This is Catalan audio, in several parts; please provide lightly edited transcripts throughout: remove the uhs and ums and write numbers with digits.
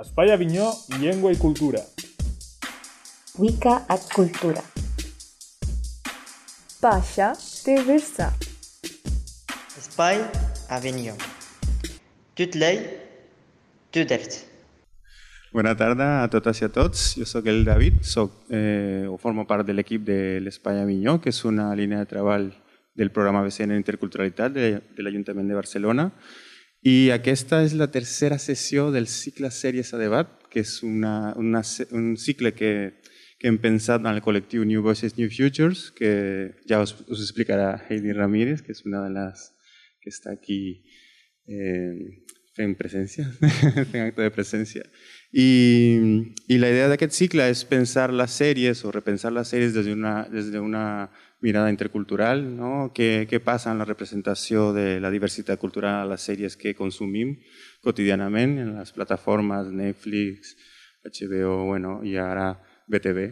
Espai Avinyó, llengua i cultura. Wicca ad cultura. Pasha de Versa. Espai Avinyó. Tutlei, Tudert. Bona tarda a totes i a tots. Jo sóc el David, formo part de l'equip de l'Espai Avinyó, que és una línia de treball del programa BCN Interculturalitat de l'Ajuntament de Barcelona. I aquesta és la tercera sessió del cicle Sèries a Debat, que és un cicle que hem pensat en el col·lectiu New Voices, New Futures, que ja us explicarà Heidi Ramírez, que és una de les que està aquí fent presència, fent acte de presència. I la idea d'aquest cicle és pensar les sèries o repensar les sèries des d'una mirada intercultural, no? Què passa en la representació de la diversitat cultural a les sèries que consumim quotidianament en les plataformes Netflix, HBO, i ara BTV,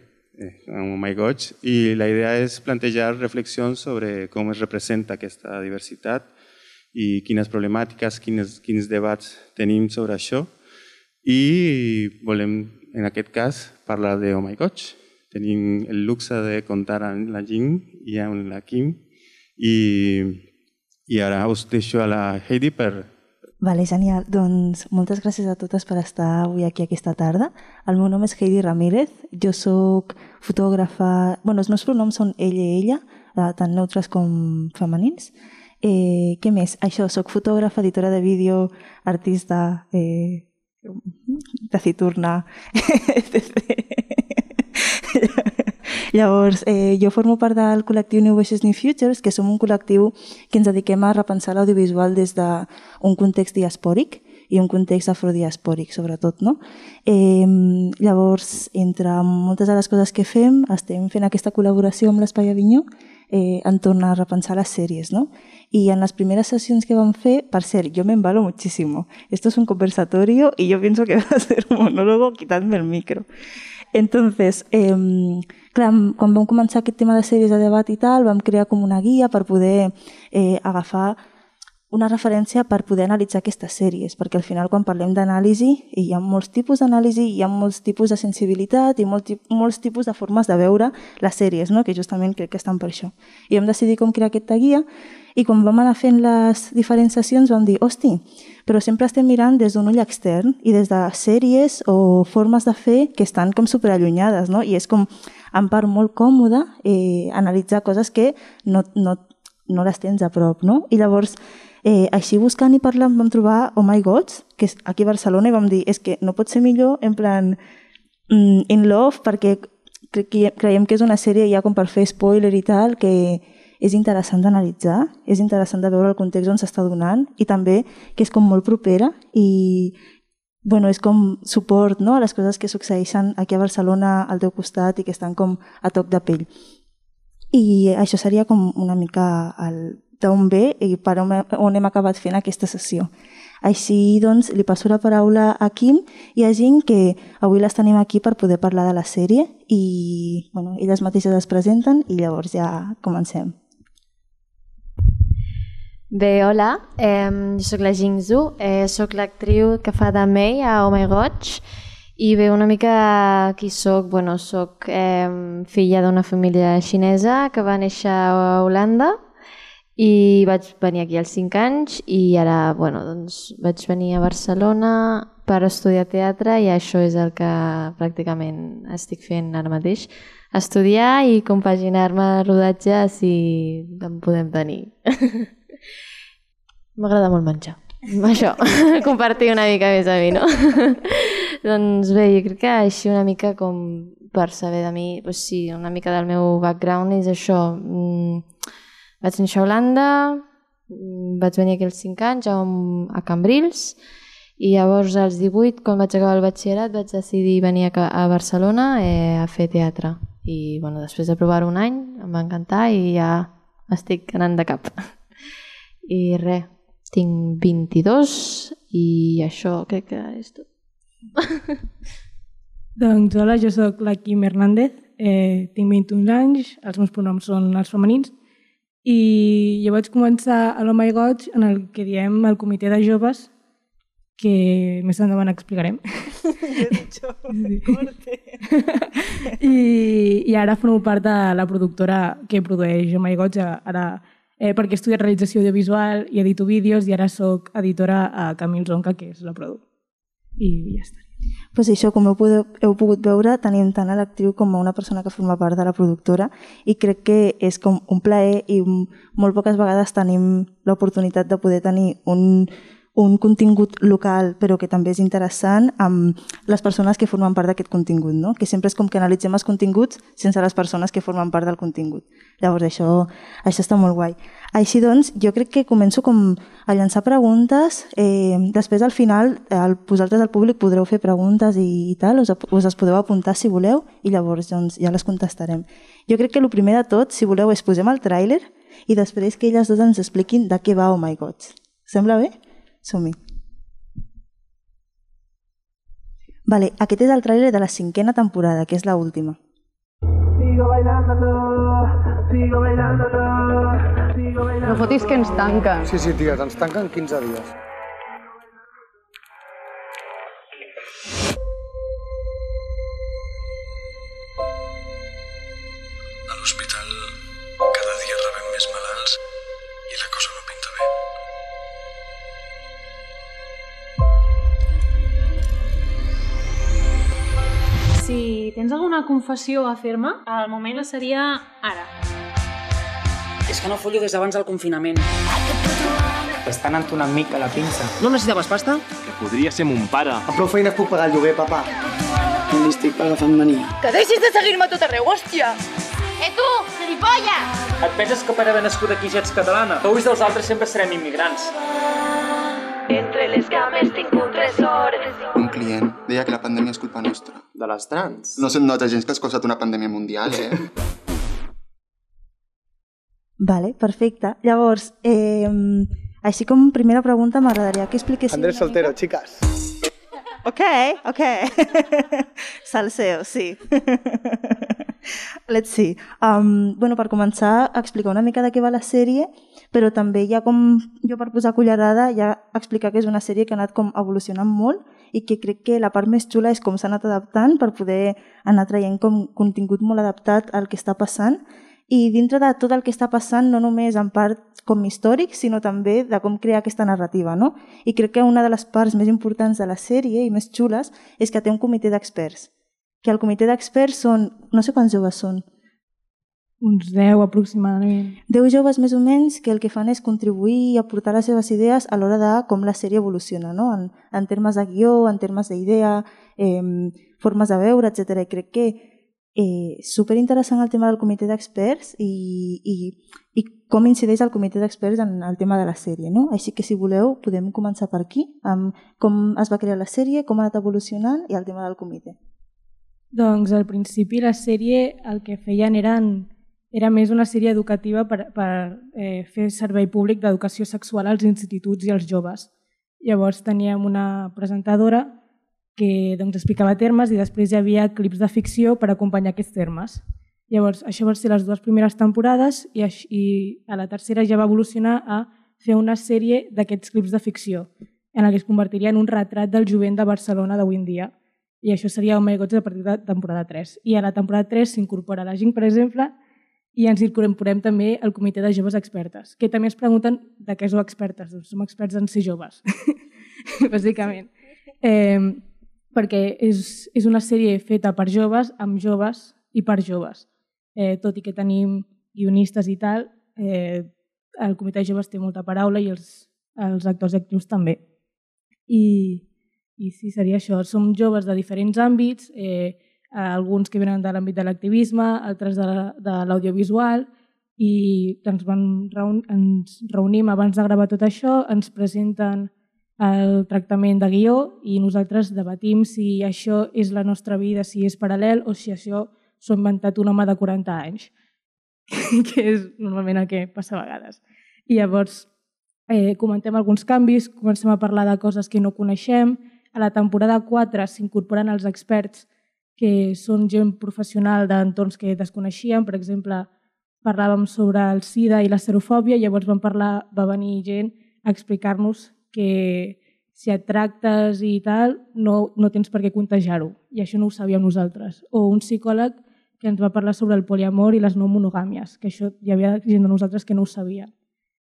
Oh My Gosh. I la idea és plantejar reflexions sobre com es representa aquesta diversitat i quines problemàtiques, quins debats tenim sobre això. I volem, en aquest cas, parlar de Oh My Gosh. Tenim el luxe de comptar amb la Jing i amb la Kim. I ara us deixo a la Heidi per... Vale, genial. Doncs moltes gràcies a totes per estar avui aquí aquesta tarda. El meu nom és Heidi Ramírez. Jo soc fotògrafa... Els meus pronoms són ella i ella, tant neutres com femenins. Què més? Això, soc fotògrafa, editora de vídeo, artista... taciturna, etc. Llavors, jo formo part del col·lectiu New Voices, New Futures, que som un col·lectiu que ens dediquem a repensar l'audiovisual des d'un context diaspòric i un context afrodiaspòric, sobretot, no? Llavors, entre moltes de les coses que fem, estem fent aquesta col·laboració amb l'Espai Avinyó entorn a repensar les sèries, ¿no? Y en las primeras sesiones que van a hacer, per cert, yo me embalo muchísimo. Esto es un conversatorio y yo pienso que va a ser un monólogo, quitadme el micro. Entonces, clar, quan vam començar aquest tema de sèries de debat i tal, vam crear com una guia per poder agafar una referència per poder analitzar aquestes sèries, perquè al final quan parlem d'anàlisi hi ha molts tipus d'anàlisi, hi ha molts tipus de sensibilitat i molts tipus de formes de veure les sèries, no? Que justament crec que estan per això. I vam decidir com crear aquesta guia i quan vam anar fent les diferents sessions vam dir, hosti, però sempre estem mirant des d'un ull extern i des de sèries o formes de fer que estan com superallunyades, no? I és com en part molt còmode analitzar coses que no les tens a prop, no? I llavors així buscant i parlant vam trobar Oh My Gods, que és aquí a Barcelona, i vam dir, és que no pot ser millor en plan in love, perquè creiem que és una sèrie ja com per fer spoiler i tal, que és interessant d'analitzar, és interessant de veure el context on s'està donant i també que és com molt propera i és com suport, no? A les coses que succeeixen aquí a Barcelona al teu costat i que estan com a toc de pell. I això seria com una mica d'on ve i per on hem acabat fent aquesta sessió. Així, doncs, li passo la paraula a Kim i a Jing, que avui les tenim aquí per poder parlar de la sèrie i elles mateixes es presenten i llavors ja comencem. Bé, hola, jo soc la Jing Zhu, soc l'actriu que fa de Mei a Oh My Gosh i bé, una mica qui soc, soc filla d'una família xinesa que va néixer a Holanda i vaig venir aquí als 5 anys i ara vaig venir a Barcelona per estudiar teatre i això és el que pràcticament estic fent ara mateix, estudiar i compaginar-me rodatge si en podem tenir. M'agrada molt menjar, això, compartir una mica més a mi, no? Doncs bé, jo crec que així una mica com per saber de mi, sí, una mica del meu background és això. Vaig néixer a Holanda, vaig venir aquí als 5 anys a Cambrils i llavors als 18, quan vaig acabar el batxillerat, vaig decidir venir a Barcelona a fer teatre. I després de provar un any em va encantar i ja estic anant de cap. I res, tinc 22 i això crec que és tot. Doncs hola, jo soc la Kim Hernández, tinc 21 anys, els meus pronoms són els femenins i jo vaig començar a Oh My God en el que diem el comitè de joves que més endavant explicarem. I ara formo part de la productora que produeix Oh My God, perquè he estudiat realització audiovisual i edito vídeos i ara soc editora a Camil Zonca, que és la produ. I ja està. Pues això, com heu pogut veure, tenim tant a l'actriu com a una persona que forma part de la productora i crec que és com un plaer i molt poques vegades tenim l'oportunitat de poder tenir un contingut local però que també és interessant amb les persones que formen part d'aquest contingut, no? Que sempre és com que analitzem els continguts sense les persones que formen part del contingut. Llavors això està molt guai. Així doncs, jo crec que començo com a llançar preguntes, després al final vosaltres al públic podreu fer preguntes i tal, us les podeu apuntar si voleu i llavors doncs, ja les contestarem. Jo crec que el primer de tot, si voleu, és posem el tràiler i després que elles dues ens expliquin de què va Oh My God. Sembla bé? Som-hi. Vale, aquest és el tràiler de la 5ª temporada, que és l'última. No fotis que ens tanquen. Sí, ties, ens tanquen 15 dies. A l'hospital cada dia rebem més malalts i la cosa no pinta bé. Si tens alguna confessió a fer-me, el moment seria ara. És que no follo des d'abans del confinament. T'estan entonant mica la pinça. No necessitaves pasta? Que podria ser mon pare. Amb prou feines puc pagar el lloguer, papa. No li estic agafant mania. Que deixis de seguir-me a tot arreu, hòstia! Tu, gilipolla! Et penses que per haver nascut aquí ja ets catalana? Que ulls dels altres sempre serem immigrants. Entre les cames tinc un tresor. Un client deia que la pandèmia és culpa nostra. De les trans? No se't nota gens que has causat una pandèmia mundial, Vale, perfecte. Llavors, així com primera pregunta m'agradaria que expliquessin... Andrés Soltero, chicas. Ok. Salseo, sí. Let's see. Bueno, per començar, explicar una mica de què va la sèrie, però també ja com jo per posar cullerada ja explicar que és una sèrie que ha anat com evolucionant molt i que crec que la part més xula és com s'ha anat adaptant per poder anar traient com contingut molt adaptat al que està passant i dintre de tot el que està passant no només en part com històric sinó també de com crear aquesta narrativa, no? I crec que una de les parts més importants de la sèrie i més xules és que té un comitè d'experts, que el comitè d'experts són, no sé quants joves són, uns 10 aproximadament. 10 joves més o menys que el que fan és contribuir i aportar les seves idees a l'hora de com la sèrie evoluciona, no? En termes de guió, en termes d'idea, formes de veure, etc. I crec que superinteressant el tema del comitè d'experts i com incideix el comitè d'experts en el tema de la sèrie, no? Així que si voleu podem començar per aquí, amb com es va crear la sèrie, com ha anat evolucionant i el tema del comitè. Doncs al principi la sèrie el que feien era més una sèrie educativa per fer servei públic d'educació sexual als instituts i als joves. Llavors teníem una presentadora que explicava termes i després hi havia clips de ficció per acompanyar aquests termes. Llavors això van ser les 2 primeres temporades i a la tercera ja va evolucionar a fer una sèrie d'aquests clips de ficció en la que es convertiria en un retrat del jovent de Barcelona d'avui en dia. I això seria Oh My God a partir de temporada 3. I a la temporada 3 s'incorpora la Ging, per exemple, i ens incorporem també el comitè de joves expertes, que també es pregunten de què sou expertes. Doncs som experts en ser joves, bàsicament. Perquè és una sèrie feta per joves, amb joves i per joves. Tot i que tenim guionistes i tal, el comitè de joves té molta paraula i els actors i actrius també. I sí, seria això. Som joves de diferents àmbits, alguns que venen de l'àmbit de l'activisme, altres de l'audiovisual, i ens reunim abans de gravar tot això, ens presenten el tractament de guió i nosaltres debatim si això és la nostra vida, si és paral·lel o si això s'ho ha inventat un home de 40 anys, que és normalment el que passa a vegades. I llavors comentem alguns canvis, comencem a parlar de coses que no coneixem. A la temporada 4 s'incorporen els experts que són gent professional d'entorns que desconeixíem. Per exemple, parlàvem sobre el SIDA i la serofòbia, llavors va venir gent a explicar-nos que si et tractes i tal, no tens per què contagiar-ho. I això no ho sabíem nosaltres. O un psicòleg que ens va parlar sobre el poliamor i les no monogàmies, que això hi havia gent de nosaltres que no ho sabia.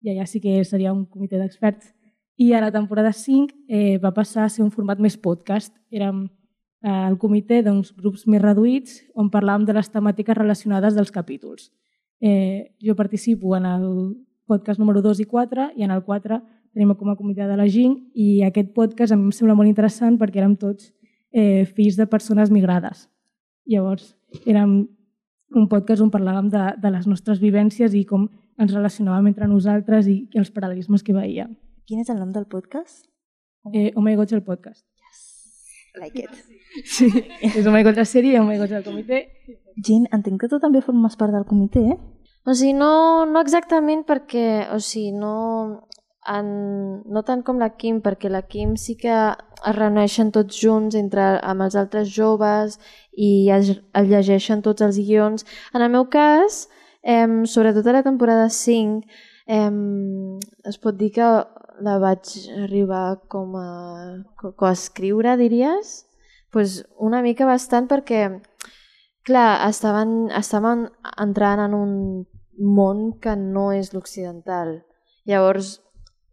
I allà sí que seria un comitè d'experts. I a la temporada 5 va passar a ser un format més podcast. Érem el comitè d'uns grups més reduïts on parlàvem de les temàtiques relacionades dels capítols. Jo participo en el podcast número 2 i 4 i en el 4 tenim com a comitè de la GINC i aquest podcast a mi em sembla molt interessant perquè érem tots fills de persones migrades. Llavors, érem un podcast on parlàvem de les nostres vivències i com ens relacionàvem entre nosaltres i els paral·lelismes que veiem. Quin és el nom del podcast? Oh My God, el podcast. Like it. Sí, és Oh My God la sèrie i Oh My God el comitè. Gin, entenc que tu també formes part del comitè, eh? O sigui, no exactament perquè, o sigui, no tant com la Quim, perquè la Quim sí que es reuneixen tots junts amb els altres joves i es llegeixen tots els guions. En el meu cas, sobretot a la temporada 5, es pot dir que la vaig arribar com a escriure, diries? Pues una mica bastant perquè, clar, estàvem entrant en un món que no és l'occidental. Llavors,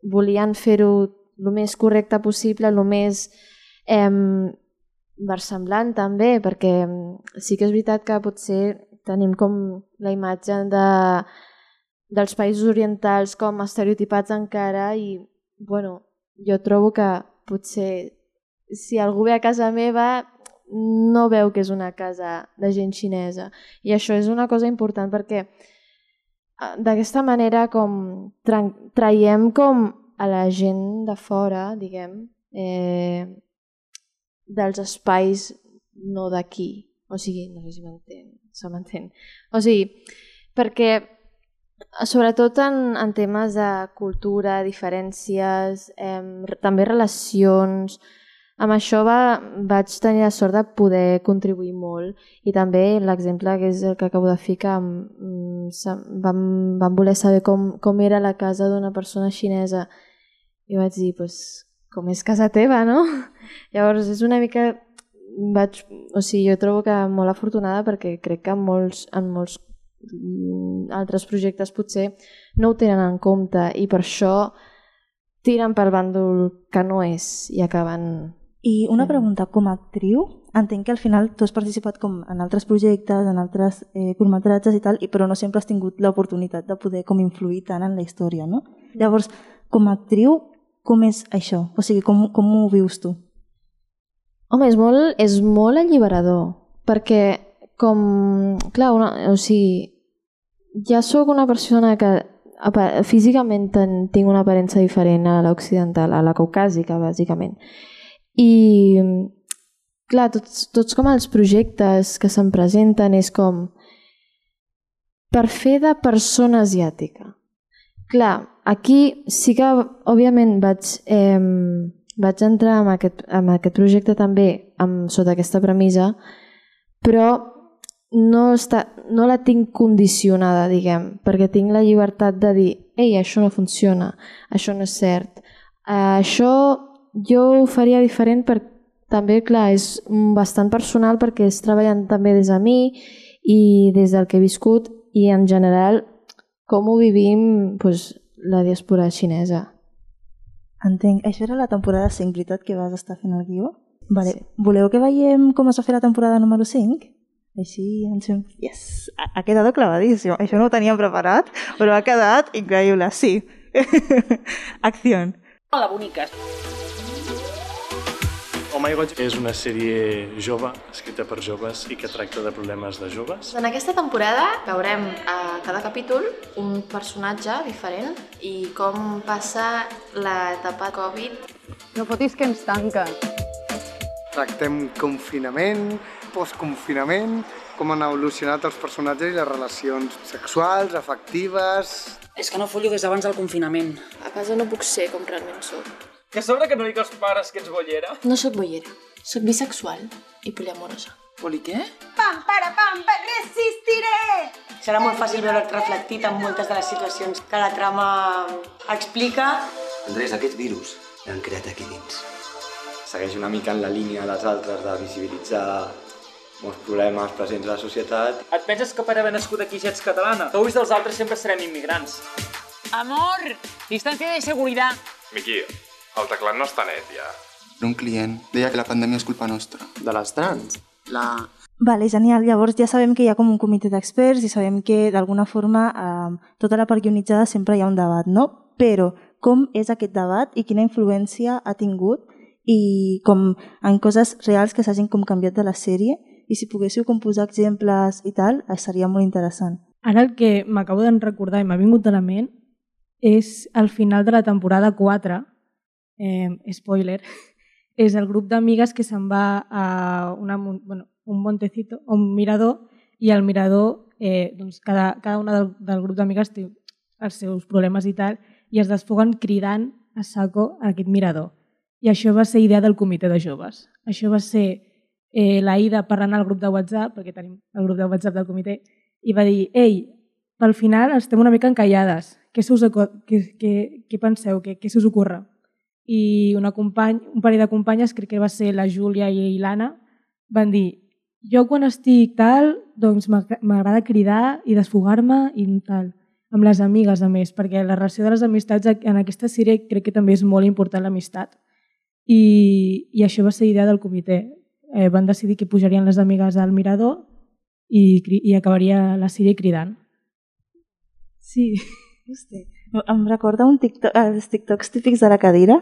volien fer-ho el més correcte possible, el més versemblant també, perquè sí que és veritat que potser tenim com la imatge dels països orientals com estereotipats encara i, bueno, jo trobo que potser si algú ve a casa meva no veu que és una casa de gent xinesa i això és una cosa important perquè d'aquesta manera com traiem com a la gent de fora, diguem, dels espais no d'aquí. O sigui, no sé si se m'entén. O sigui, perquè sobretot en temes de cultura, diferències, també relacions, amb això vaig tenir la sort de poder contribuir molt i també l'exemple que és el que acabo de ficar, vam voler saber com era la casa d'una persona xinesa i vaig dir, com és casa teva, no? Llavors és una mica, o sigui, jo trobo que molt afortunada perquè crec que en molts altres projectes potser no ho tenen en compte i per això tiren pel bàndol que no és i acaben... I una pregunta, com a actriu, entenc que al final tu has participat com en altres projectes, en altres curtmetratges i tal, però no sempre has tingut l'oportunitat de poder com influir tant en la història, no? Llavors, com a actriu, com és això? O sigui, com ho vius tu? Home, és molt alliberador, perquè com... Clar, o sigui, ja sóc una persona que físicament tinc una aparença diferent a l'occidental, a la caucàsica, bàsicament. I, clar, tots com els projectes que se'm presenten és com per fer de persona asiàtica. Clar, aquí sí que, òbviament, vaig entrar en aquest projecte també sota aquesta premissa, però no la tinc condicionada, diguem, perquè tinc la llibertat de dir ei, això no funciona, això no és cert. Això jo ho faria diferent perquè també, clar, és bastant personal perquè és treballant també des de mi i des del que he viscut i en general com ho vivim la diàspora xinesa. Entenc. Això era la temporada 5, veritat, que vas estar fent el guió? Vale. Sí. Voleu que veiem com es va fer la temporada número 5? Així ens fem... Yes! Ha quedat clavadíssim. Això no ho teníem preparat, però ha quedat increïble. Sí. Acció. Hola, boniques. Oh My God és una sèrie jove, escrita per joves i que tracta de problemes de joves. En aquesta temporada veurem a cada capítol un personatge diferent i com passa l'etapa Covid. No fotis que ens tanquen. Tractem confinament, postconfinament, com han evolucionat els personatges i les relacions sexuals, afectives... És que no follo des d'abans del confinament. A casa no puc ser com realment soc. Que sobre que no dic als pares que ets bollera? No sóc bollera, sóc bisexual i poliamorosa. Poli què? Pam, resistiré! Serà molt fàcil veure't reflectit en moltes de les situacions que la trama explica. Andrés, aquest virus han creat aquí dins. Segueix una mica en la línia de les altres de visibilitzar molts problemes presents a la societat. Et penses que per haver nascut aquí ja ets catalana? Que ulls dels altres sempre serem immigrants. Amor, distancia de seguridad. Miqui, el teclat no està net ja. Un client deia que la pandèmia és culpa nostra. De les trans? Vale, genial. Llavors ja sabem que hi ha com un comitè d'experts i sabem que d'alguna forma tota la part guionitzada sempre hi ha un debat, no? Però com és aquest debat i quina influència ha tingut i com en coses reals que s'hagin com canviat de la sèrie i si poguéssiu com posar exemples i tal, seria molt interessant. Ara el que m'acabo de recordar i m'ha vingut a la ment és el final de la temporada 4, spoiler, és el grup d'amigues que se'n va a un montecito, un mirador, i al mirador doncs cada una del grup d'amigues té els seus problemes i tal, i es desfoguen cridant a saco a aquest mirador. I això va ser idea del comitè de joves. Això va ser l'Aida parlant al grup de WhatsApp, perquè tenim el grup de WhatsApp del comitè, i va dir, ei, pel final estem una mica encallades, què penseu, què se us ocorre? I un parell de companyes, crec que va ser la Júlia i l'Anna, van dir, jo quan estic tal, doncs m'agrada cridar i desfogar-me i tal, amb les amigues a més, perquè la relació de les amistats en aquesta sèrie crec que també és molt important l'amistat. I això va ser idea del comitè. Van decidir que pujarien les amigues al mirador i acabaria la sèrie cridant. Sí, em recorda els TikToks típics de la cadira,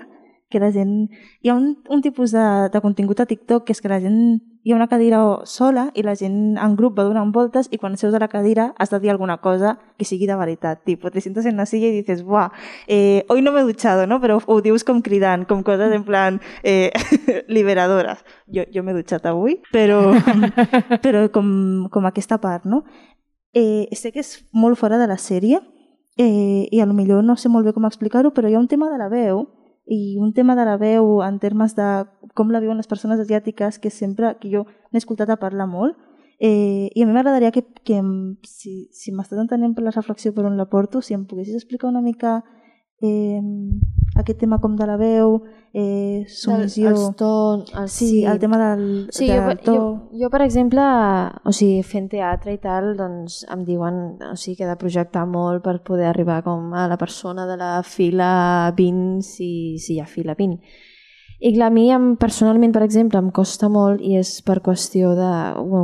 que la gent... Hi ha un tipus de contingut a TikTok que és que la gent... Hi ha una cadira sola i la gent en grup va donant voltes i quan seus a la cadira has de dir alguna cosa que sigui de veritat. Tipo, te sientas en la silla y dices, buah, hoy no me he duchado, ¿no? Però ho dius com cridant, com coses en plan liberadoras. Jo m'he dutxat avui, però com aquesta part, no? Sé que és molt fora de la sèrie i a lo millor no sé molt bé com explicar-ho, però hi ha un tema de la veu i un tema de la veu en termes de com la viuen les persones asiàtiques que jo n'he escoltat a parlar molt i a mi m'agradaria que si m'estàs entenent per la reflexió per on la porto, si em poguessis explicar una mica aquest tema com de la veu, submissió... Els tons... Sí, el tema del to... Jo, per exemple, fent teatre i tal, doncs em diuen que he de projectar molt per poder arribar com a la persona de la fila 20, si hi ha fila 20. I clar, a mi personalment, per exemple, em costa molt, i és per qüestió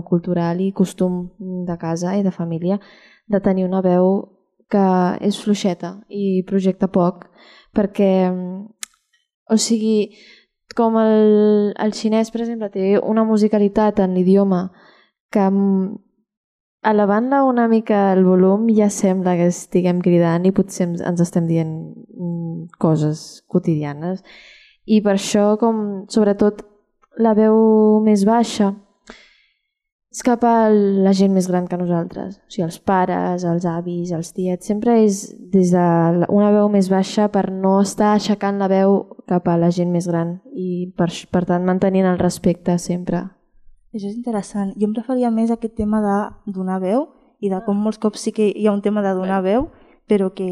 cultural i costum de casa i de família, de tenir una veu que és fluixeta i projecta poc, perquè, com el xinès, per exemple, té una musicalitat en l'idioma que elevant-la una mica el volum ja sembla que estiguem cridant i potser ens estem dient coses quotidianes. I per això, sobretot, la veu més baixa és cap a la gent més gran que nosaltres. Els pares, els avis, els tiets, sempre és des d'una veu més baixa per no estar aixecant la veu cap a la gent més gran i per tant mantenint el respecte sempre. Això és interessant. Jo em referia més a aquest tema de donar veu i de com molts cops sí que hi ha un tema de donar veu, però que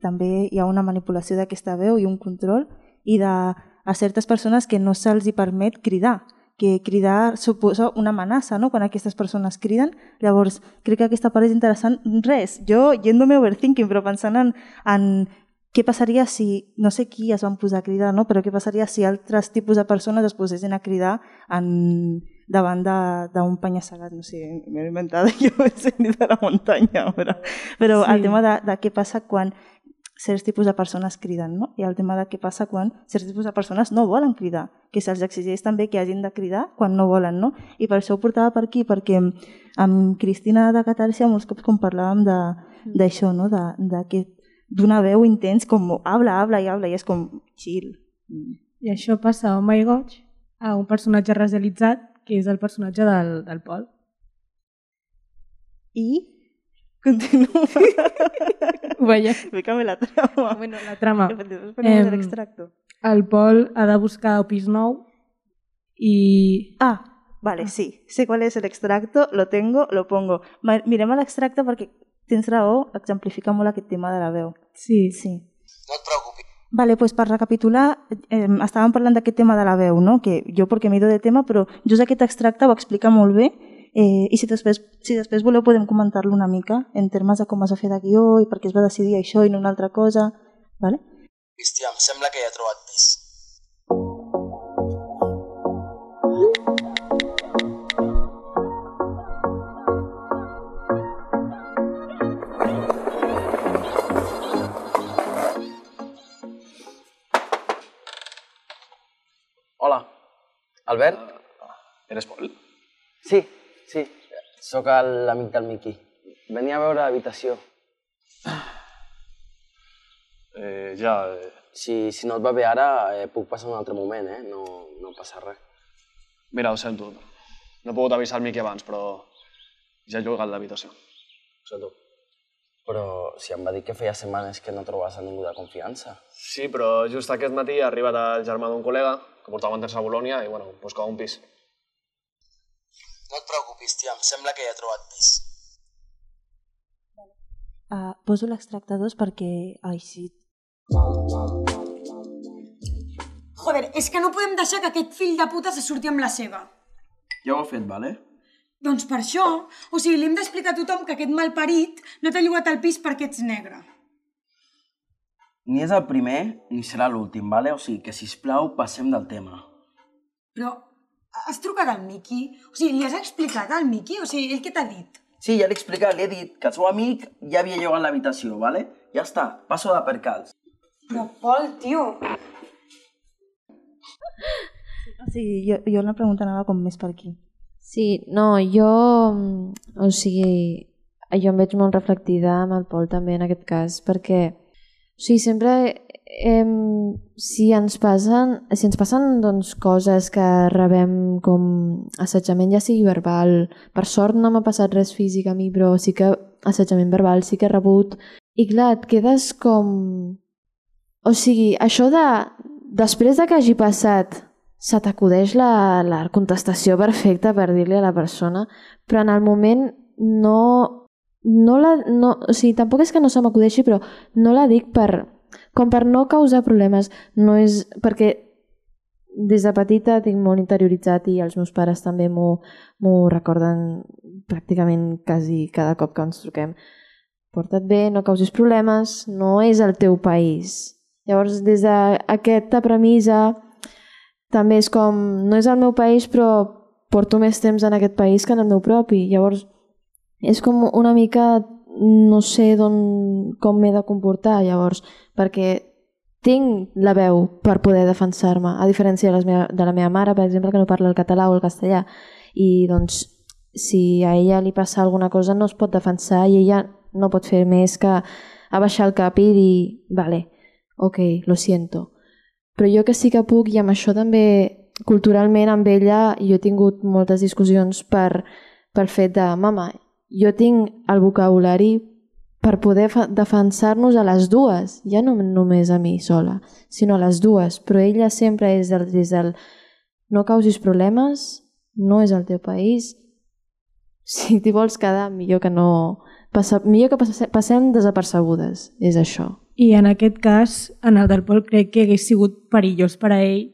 també hi ha una manipulació d'aquesta veu i un control i a certes persones que no se'ls hi permet cridar, que cridar suposa una amenaça, no?, quan aquestes persones criden. Llavors, crec que aquesta part és interessant. Res, jo yéndome overthinking, però pensant en què passaria si, no sé qui es van posar a cridar, no?, però què passaria si altres tipus de persones es posessin a cridar davant d'un penya-segat, no sé, m'he inventat, jo he sentit de la muntanya, però el tema de què passa quan certs tipus de persones criden, no? I el tema de què passa quan certs tipus de persones no volen cridar, que se'ls exigeix també que hagin de cridar quan no volen, no? I per això ho portava per aquí, perquè amb Cristina de Catàrsia molts cops com parlàvem d'això, no? D'una veu intens, com habla, i és com chill. I això passa a Oh My Gosh, a un personatge racialitzat, que és el personatge del Pol. I continua. Vaya. Explícame la trama. Bueno, la trama. Ponemos el extracto. El Pol ha de buscar pis nou i... Vale, sí. Sé cuál es el extracto, lo tengo, lo pongo. Mirem l'extracte perquè tens raó, exemplifica molt aquest tema de la veu. Sí. No et preocupis, Vale, pues per recapitular, estàvem parlant d'aquest tema de la veu, no? Que jo perquè m'he ido de tema, però just aquest extracte ho explica molt bé i si després voleu podem comentar-lo una mica en termes de com es va fer de guió i per què es va decidir això i no una altra cosa, vale? Hòstia, em sembla que ja he trobat pis. Hola, Albert? Eres Pol? Sí, sóc l'amic del Miqui. Venia a veure l'habitació. Si no et va bé ara, puc passar un altre moment, no passa res. Mira, ho sento. No he pogut avisar el Miqui abans, però ja he llogat l'habitació. Ho sento. Però si em va dir que feia setmanes que no trobes a ningú de confiança. Sí, però just aquest matí ha arribat el germà d'un col·lega que portava un temps a Bolònia i, bueno, buscava un pis. No et preocupis, tia, em sembla que ja he trobat pis. Poso l'extracte 2 perquè... Ai, sí. Joder, és que no podem deixar que aquest fill de puta se surti amb la seva. Ja ho he fet, vale? Doncs per això, o sigui, li hem d'explicar a tothom que aquest malparit no t'ha llogat al pis perquè ets negre. Ni és el primer, ni serà l'últim, vale? O sigui, que sisplau, passem del tema. Però has trucat al Miqui? O sigui, li has explicat al Miqui? O sigui, ell què t'ha dit? Sí, ja l'he explicat, li he dit que el seu amic ja havia llogat l'habitació, vale? Ja està, passo de percals. Però, Pol, tio... Sí, jo la pregunta anava com més per aquí. Sí, no, jo... O sigui, jo em veig molt reflectida amb el Pol també en aquest cas, perquè o sigui, sempre si ens passen doncs, coses que rebem com assetjament, ja sigui verbal, per sort no m'ha passat res físic a mi, però sí que assetjament verbal sí que he rebut, i clar, et quedes com... O sigui, això de... Després de que hagi passat, se t'acudeix la contestació perfecta per dir-li a la persona, però en el moment no o sigui, tampoc és que no se m'acudeixi, però no la dic com per no causar problemes. No és perquè des de petita tinc molt interioritzat i els meus pares també m'ho recorden pràcticament quasi cada cop que ens truquem. Porta't bé, no causis problemes, no és el teu país. Llavors, des d'aquesta premissa, també és com, no és el meu país, però porto més temps en aquest país que en el meu propi. Llavors, és com una mica, no sé com m'he de comportar, llavors, perquè tinc la veu per poder defensar-me, a diferència de la meva mare, per exemple, que no parla el català o el castellà. I doncs, si a ella li passa alguna cosa, no es pot defensar i ella no pot fer més que abaixar el cap i dir, vale, ok, lo siento. Però jo que sí que puc, i amb això també culturalment amb ella jo he tingut moltes discussions per fet de, mama, jo tinc el vocabulari per poder defensar-nos a les dues, ja no només a mi sola, sinó a les dues, però ella sempre és des del no causis problemes, no és el teu país, si t'hi vols quedar millor que no... millor que passem desapercebudes, és això. I en aquest cas, en el del Pol, crec que hagués sigut perillós per a ell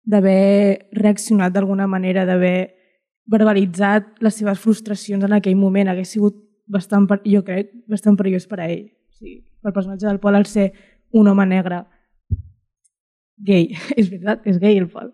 d'haver reaccionat d'alguna manera, d'haver verbalitzat les seves frustracions en aquell moment. Hagués sigut bastant, jo crec, bastant perillós per a ell. O sigui, el personatge del Pol, al ser un home negre gay, és veritat, és gay el Pol.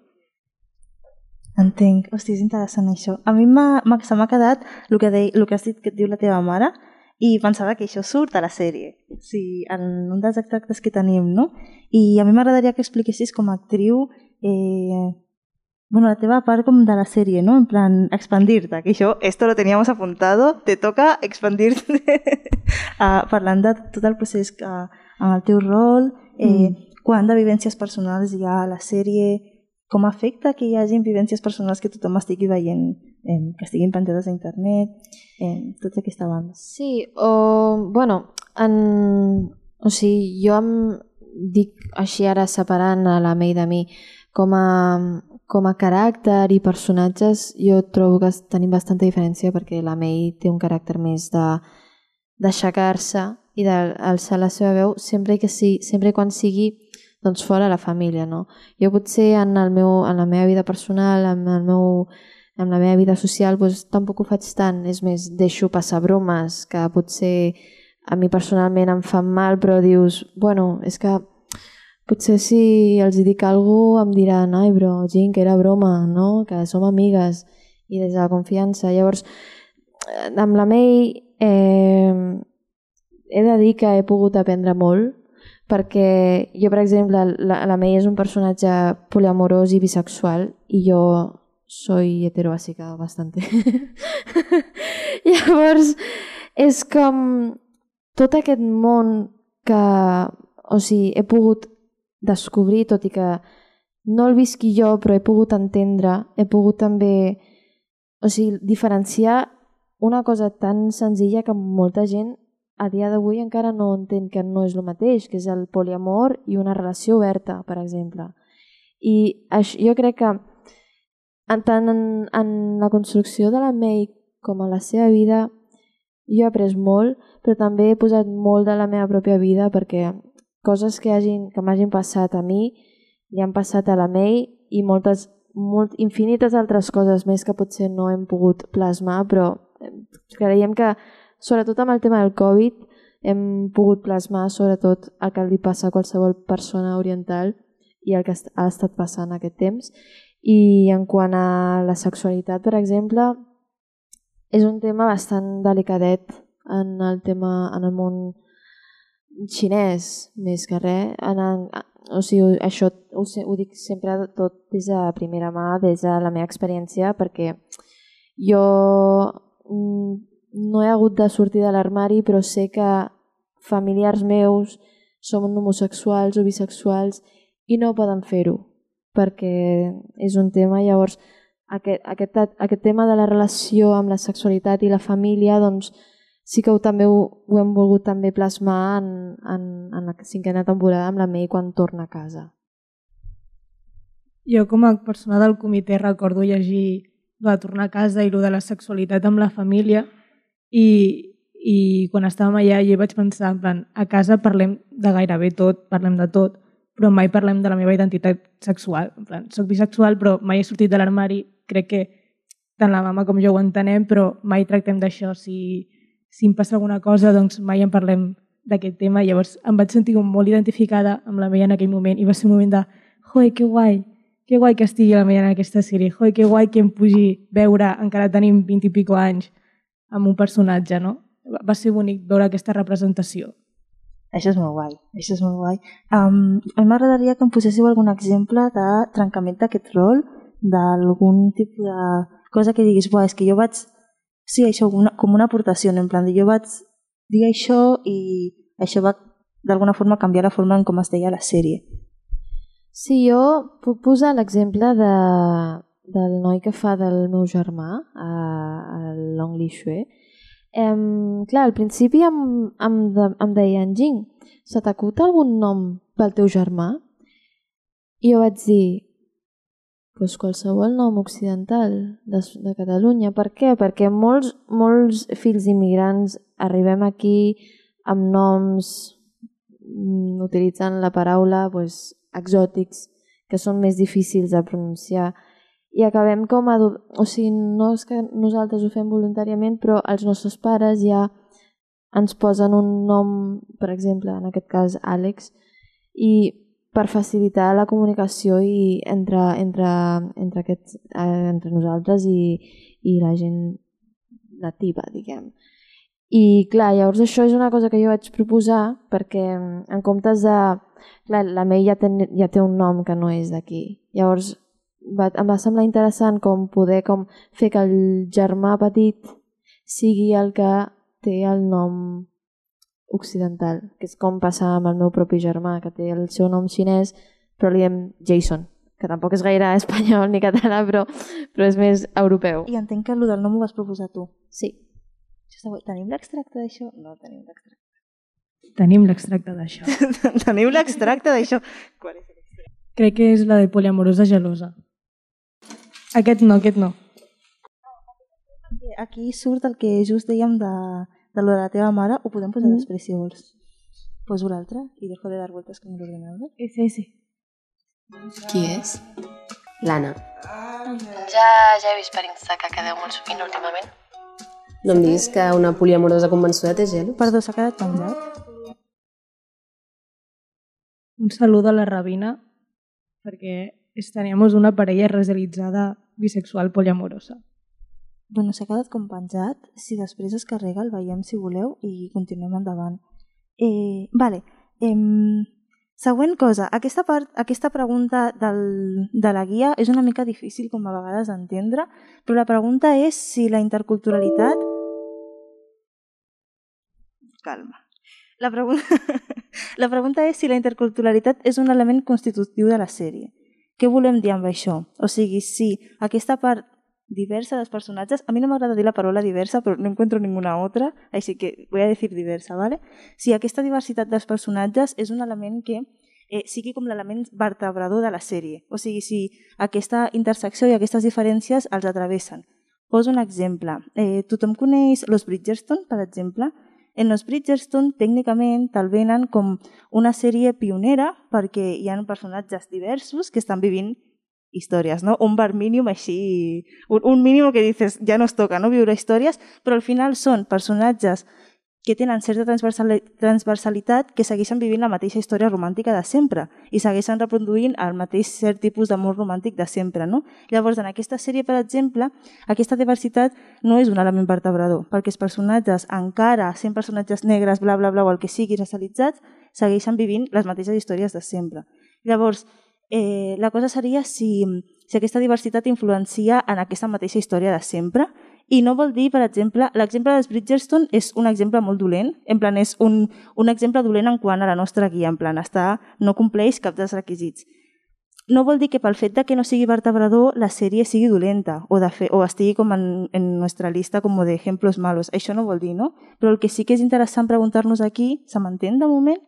Entenc. Hosti, és interessant això. A mi se m'ha quedat el que has dit que et diu la teva mare i pensava que això surt a la sèrie. Sí, en un dels extractes que tenim, no? I a mi m'agradaria que expliquessis com a actriu la teva part com de la sèrie, no? En plan, expandir-te, que això, esto lo teníamos apuntado, te toca expandir-te parlant de tot el procés amb el teu rol, quant de vivències personals hi ha a la sèrie, com afecta que hi hagi vivències personals que tothom estigui veient, que estiguin penjades a internet, tota aquesta banda. Sí, o sigui, jo em dic així ara separant a la Mei de mi, com a caràcter i personatges jo trobo que tenim bastanta diferència perquè la Mei té un caràcter més d'aixecar-se i d'alçar la seva veu sempre i quan sigui doncs, fora la família. No? Jo potser en la meva vida personal, en la meva vida social, doncs, tampoc ho faig tant. És més, deixo passar bromes que potser a mi personalment em fan mal, però dius, bueno, és que potser si els dic alguna cosa em diran, ai, bro, Jin, que era broma, no? Que som amigues, i des de la confiança. Llavors, amb la May he de dir que he pogut aprendre molt, perquè jo, per exemple, la May és un personatge poliamorós i bisexual, i jo soy heterobàsica bastante. Llavors, és com tot aquest món que, o sigui, he pogut descobrir, tot i que no el visqui jo, però he pogut entendre, he pogut també, o sigui, diferenciar una cosa tan senzilla que molta gent a dia d'avui encara no entén que no és el mateix, que és el poliamor i una relació oberta, per exemple. I jo crec que tant en la construcció de la May com a la seva vida jo he après molt, però també he posat molt de la meva pròpia vida perquè coses que m'hagin passat a mi li han passat a la May i infinites altres coses més que potser no hem pogut plasmar, però creiem que sobretot amb el tema del Covid hem pogut plasmar sobretot el que li passa a qualsevol persona oriental i el que ha estat passant aquest temps. I en quant a la sexualitat, per exemple, és un tema bastant delicadet en el món xinès, més que res. O sigui, això ho dic sempre tot des de primera mà, des de la meva experiència, perquè jo no he hagut de sortir de l'armari, però sé que familiars meus són homosexuals o bisexuals i no poden fer-ho, perquè és un tema. Llavors, aquest tema de la relació amb la sexualitat i la família, doncs sí que també ho hem volgut també plasmar en la 5a temporada amb la May quan torna a casa. Jo com a persona del comitè recordo llegir de tornar a casa i de la sexualitat amb la família i quan estàvem allà jo vaig pensar, en plan, a casa parlem de gairebé tot, parlem de tot, però mai parlem de la meva identitat sexual. En plan, soc bisexual però mai he sortit de l'armari, crec que tant la mama com jo ho entenem, però mai tractem d'això. Si em passa alguna cosa, doncs mai en parlem d'aquest tema. Llavors em vaig sentir molt identificada amb la May en aquell moment i va ser un moment de joder, que guai que estigui la May en aquesta sèrie, joder, que guai que em pugui veure, encara tenim 20 i pico anys, amb un personatge, no? Va ser bonic veure aquesta representació. Això és molt guai, això és molt guai. A mi m'agradaria que em poséssiu algun exemple de trencament d'aquest rol, d'algun tipus de cosa que diguis, és que jo vaig... Sí, això com una aportació, en plan, jo vaig dir això i això va d'alguna forma canviar la forma en com es deia la sèrie. Sí, jo puc posar l'exemple del noi que fa del meu germà, el Long Li Xue. Clar, al principi em deien, Jing, se t'acut algun nom pel teu germà? I jo vaig dir, doncs qualsevol nom occidental de Catalunya. Per què? Perquè molts fills immigrants arribem aquí amb noms utilitzant la paraula exòtics, que són més difícils de pronunciar. I acabem com a... O sigui, no és que nosaltres ho fem voluntàriament, però els nostres pares ja ens posen un nom, per exemple, en aquest cas Àlex, i per facilitar la comunicació entre nosaltres i la gent nativa, diguem. I clar, llavors això és una cosa que jo vaig proposar perquè en comptes de... Clar, la May ja té un nom que no és d'aquí. Llavors em va semblar interessant poder fer que el germà petit sigui el que té el nom occidental, que és com passar amb el meu propi germà, que té el seu nom xinès, però li diem Jason, que tampoc és gaire espanyol ni català, però és més europeu. I entenc que el del nom ho vas proposar tu. Sí. Tenim l'extracte d'això? No tenim l'extracte. Tenim l'extracte d'això. Tenim l'extracte d'això. Crec que és la de poliamorosa gelosa. Aquest no. Aquí surt el que just dèiem de lo de la teva mare, ho podem posar després, si vols. Poso l'altre i dejo de dar vueltas con el ordenador. Ese. Qui és? L'Anna. Ja he vist per Insta que quedeu molt sovint últimament. No em diguis que una poliamorosa convençuda té gelo? Perdó, s'ha quedat penjat. Un salut a la Rabina, perquè teníamos una parella realitzada bisexual poliamorosa. Bueno, s'ha quedat com penjat. Si després es carrega el veiem si voleu i continuem endavant. Vale. Següent cosa. Aquesta pregunta de la guia és una mica difícil com a vegades d'entendre, però la pregunta és si la interculturalitat... Calma. La pregunta és si la interculturalitat és un element constitutiu de la sèrie. Què volem dir amb això? O sigui, si aquesta part diversa dels personatges, a mi no m'agrada dir la paraula diversa, però no encuentro ninguna otra, així que voy a decir diversa, ¿vale? Si aquesta diversitat dels personatges és un element que sigui com l'element vertebrador de la sèrie, o sigui, si aquesta intersecció i aquestes diferències els atravessen. Poso un exemple. Tothom coneix Los Bridgerton, per exemple. En Los Bridgerton, tècnicament, te'l venen com una sèrie pionera perquè hi ha personatges diversos que estan vivint històries, no? Un bar mínim així, un mínim que dices, ja nos toca, no? Viure històries, però al final són personatges que tenen certa transversalitat que segueixen vivint la mateixa història romàntica de sempre i segueixen reproduint el mateix cert tipus d'amor romàntic de sempre, no? Llavors, en aquesta sèrie, per exemple, aquesta diversitat no és un element vertebrador, perquè els personatges, encara sent personatges negres, bla, bla, bla, o el que sigui, racialitzats, segueixen vivint les mateixes històries de sempre. Llavors, la cosa seria si aquesta diversitat influencia en aquesta mateixa història de sempre i no vol dir, per exemple, l'exemple dels Bridgerton és un exemple molt dolent, en plan és un exemple dolent en quant a la nostra guia, en plan no compleix cap dels requisits. No vol dir que pel fet de que no sigui vertebrador la sèrie sigui dolenta o estigui com en nostra lista com de ejemplos malos, això no vol dir, no? Però el que sí que és interessant preguntar-nos aquí, se m'entén de moment?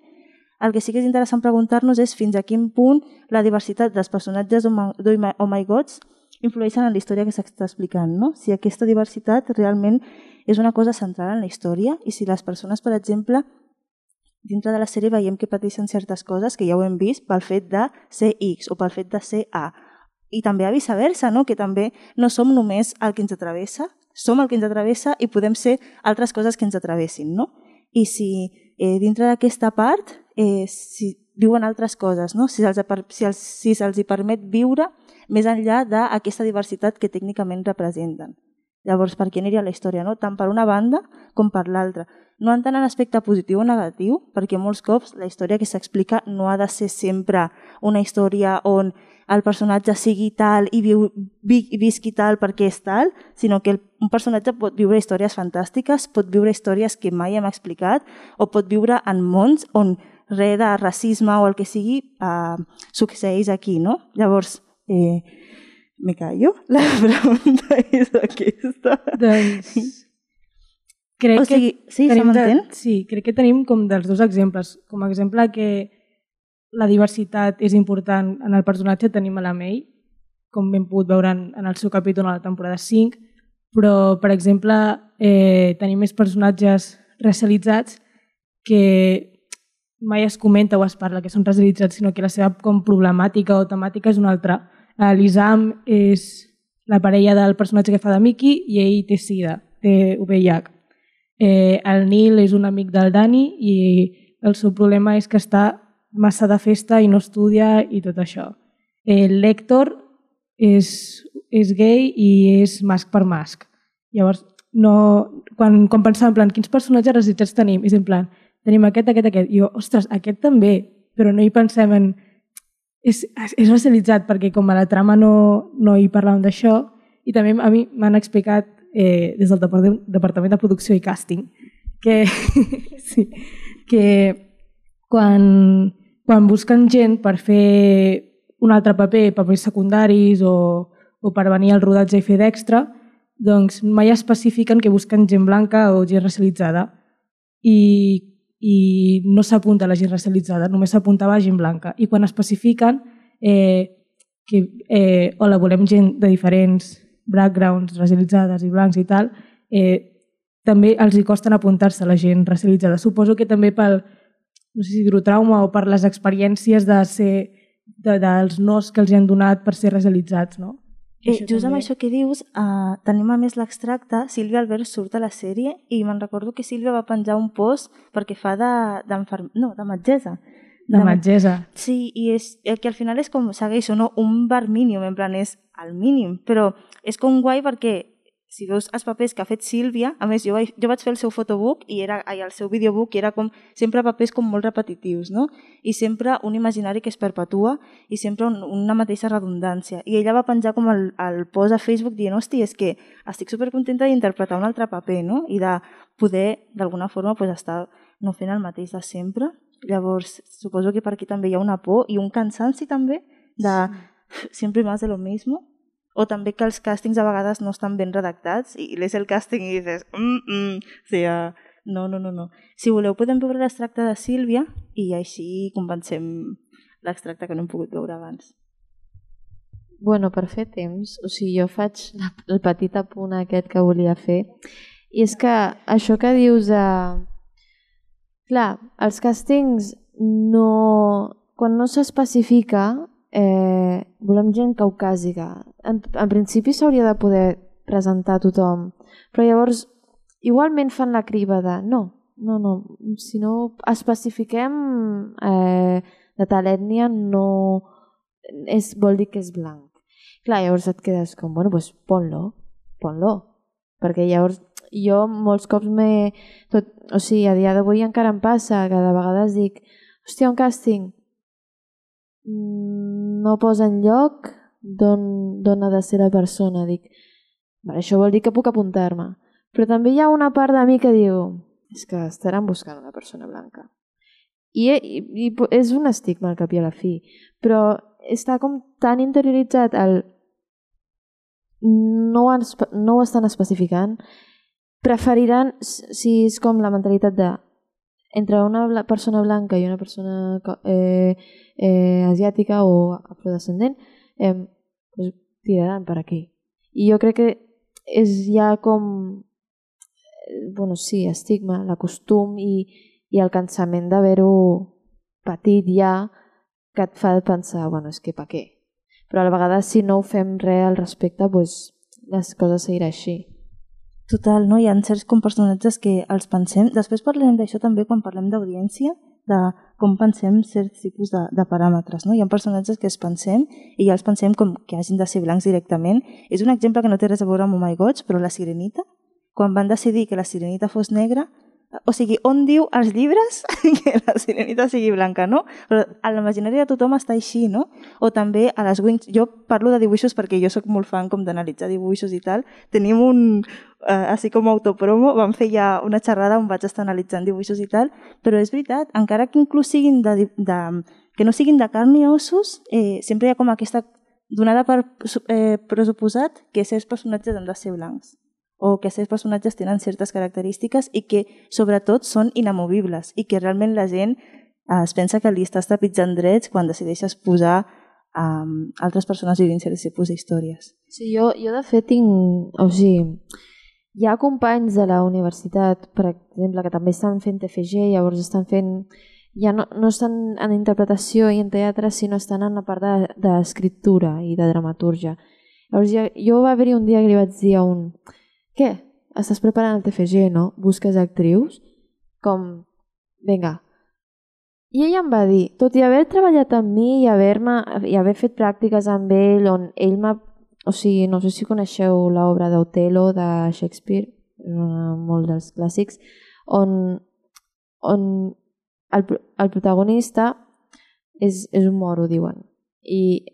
El que sí que és interessant preguntar-nos és fins a quin punt la diversitat dels personatges d'Oh My Gods influeixen en la història que s'està explicant, no? Si aquesta diversitat realment és una cosa central en la història i si les persones, per exemple, dintre de la sèrie veiem que pateixen certes coses que ja ho hem vist pel fet de ser X o pel fet de ser A. I també a viceversa, no? Que també no som només el que ens atravessa, som el que ens atravessa i podem ser altres coses que ens atravessin, no? I si dintre d'aquesta part si viuen altres coses, no? Si se'ls hi permet viure més enllà d'aquesta diversitat que tècnicament representen. Llavors, per què aniria la història? No? Tant per una banda com per l'altra. No en tant en aspecte positiu o negatiu, perquè molts cops la història que s'explica no ha de ser sempre una història on el personatge sigui tal i visqui tal perquè és tal, sinó que un personatge pot viure històries fantàstiques, pot viure històries que mai hem explicat o pot viure en mons on res de racisme o el que sigui succeeix aquí, no? Llavors, me callo? La pregunta és aquesta. Doncs... Crec que tenim com dels dos exemples. Com a exemple que la diversitat és important en el personatge tenim a la May, com hem pogut veure en el seu capítol a la temporada 5, però, per exemple, tenim més personatges racialitzats que mai es comenta o es parla que són racialitzats, sinó que la seva com problemàtica o temàtica és una altra. L'Isam és la parella del personatge que fa de Mickey i ell té sida, té VIH. El Neil és un amic del Dani i el seu problema és que està massa de festa i no estudia i tot això. L'Hèctor és gay i és masc per masc. Llavors, quan pensava en plan, quins personatges racialitzats tenim? És en plan, tenim aquest. I jo, ostres, aquest també, però no hi pensem en... És racialitzat perquè com a la trama no hi parlàvem d'això i també a mi m'han explicat des del Departament de Producció i Càsting que quan busquen gent per fer un altre paper, papers secundaris o per venir al rodatge i fer d'extra, doncs mai especifiquen que busquen gent blanca o gent racialitzada i no s'apunta a la gent racialitzada, només s'apuntava a gent blanca. I quan especifiquen que hola, volem gent de diferents backgrounds racialitzades i blancs i tal, també els hi costen apuntar-se a la gent racialitzada. Suposo que també pel, no sé si dir-ho trauma o per les experiències dels nos que els han donat per ser racialitzats, no? Just amb això que dius, tenim a més l'extracte, Sílvia Albert surt a la sèrie i me'n recordo que Sílvia va penjar un post perquè fa de metgessa. De metgessa. Sí, i que al final és com, segueixo, no? Un bar mínim, en plan és el mínim, però és com guai perquè si veus els papers que ha fet Sílvia, a més jo vaig fer el seu fotobook i el seu videobook i era com sempre papers com molt repetitius, no? I sempre un imaginari que es perpetua i sempre una mateixa redundància. I ella va penjar com el post a Facebook dient, hosti, és que estic supercontenta d'interpretar un altre paper, no? I de poder, d'alguna forma, estar no fent el mateix de sempre. Llavors, suposo que per aquí també hi ha una por i un cansanci també de sempre más de lo mismo. O també que els càstings a vegades no estan ben redactats i lees el càsting i dices o sigui, no. Si voleu podem veure l'extracte de Sílvia i així convencem l'extracte que no hem pogut veure abans. Bueno, per fer temps, o sigui, jo faig el petit apunt aquest que volia fer i és que això que dius de... Clar, els càstings quan no s'especifica volem gent caucàsica. En principi s'hauria de poder presentar a tothom, però llavors igualment fan la criba de no, si no especifiquem de tal ètnia no vol dir que és blanc. Clar, llavors et quedes com, bueno, doncs ponlo, perquè llavors jo molts cops o sigui, a dia d'avui encara em passa que de vegades dic, hòstia, un càsting no posa enlloc d'on ha de ser la persona. Dic, això vol dir que puc apuntar-me. Però també hi ha una part de mi que diu, és que estaran buscant una persona blanca. I és un estigma al cap i a la fi, però està com tan interioritzat no ho estan especificant, preferiran, si és com la mentalitat de entre una persona blanca i una persona asiàtica o afrodescendent, tiraran per aquí. I jo crec que és ja com estigma, l'acostum i el cansament d'haver-ho patit ja que et fa pensar, és que per què? Però a la vegada si no ho fem res al respecte, les coses seguiran així. Total, no? Hi ha certs personatges que els pensem. Després parlem d'això també quan parlem d'audiència, de com pensem certs tipus de paràmetres. No? Hi ha personatges que els pensem i ja els pensem com que hagin de ser blancs directament. És un exemple que no té res a veure amb Oh My Gods, però la Sirenita, quan van decidir que la Sirenita fos negra, o sigui, on diu als llibres que la Sirenita sigui blanca, no? Però a l'imaginari de tothom està així, no? O també a les Wings, jo parlo de dibuixos perquè jo sóc molt fan com d'analitzar dibuixos i tal, tenim així com autopromo, vam fer ja una xerrada on vaig estar analitzant dibuixos i tal, però és veritat, encara que inclús siguin que no siguin de carn i ossos, sempre hi ha com aquesta donada per pressuposat que certs personatges han de ser blancs, o que aquests personatges tenen certes característiques i que sobretot són inamovibles i que realment la gent es pensa que li estàs trepitjant drets quan decideixes posar altres persones vivint certs tipus d'històries. Sí, jo de fet tinc... O sigui, hi ha companys de la universitat, per exemple, que també estan fent TFG, llavors estan fent... Ja no estan en interpretació i en teatre, sinó estan en la part d'escriptura i de dramatúrgia. Llavors jo va haver-hi un dia que li vaig dir a un... Què? Estàs preparant el TFG, no? Busques actrius? Com, vinga. I ella em va dir, tot i haver treballat amb mi i haver fet pràctiques amb ell, on ell m'ha... O sigui, no sé si coneixeu l'obra d'Otelo de Shakespeare, molt dels clàssics, on el protagonista és un moro, diuen, i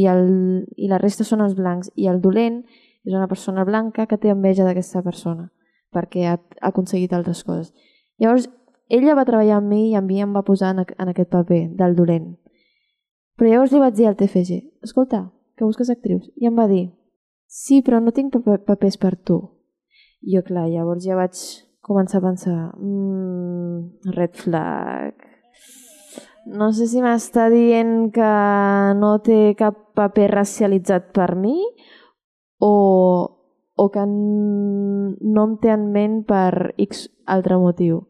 la resta són els blancs, i el dolent és una persona blanca que té enveja d'aquesta persona perquè ha aconseguit altres coses. Llavors, ella va treballar amb mi i a mi em va posar en aquest paper del dolent. Però llavors li vaig dir al TFG, escolta, que busques actrius. I em va dir, sí, però no tinc papers per tu. I jo, clar, llavors ja vaig començar a pensar, red flag. No sé si m'està dient que no té cap paper racialitzat per mi o o que no em té en ment per X altre motiu.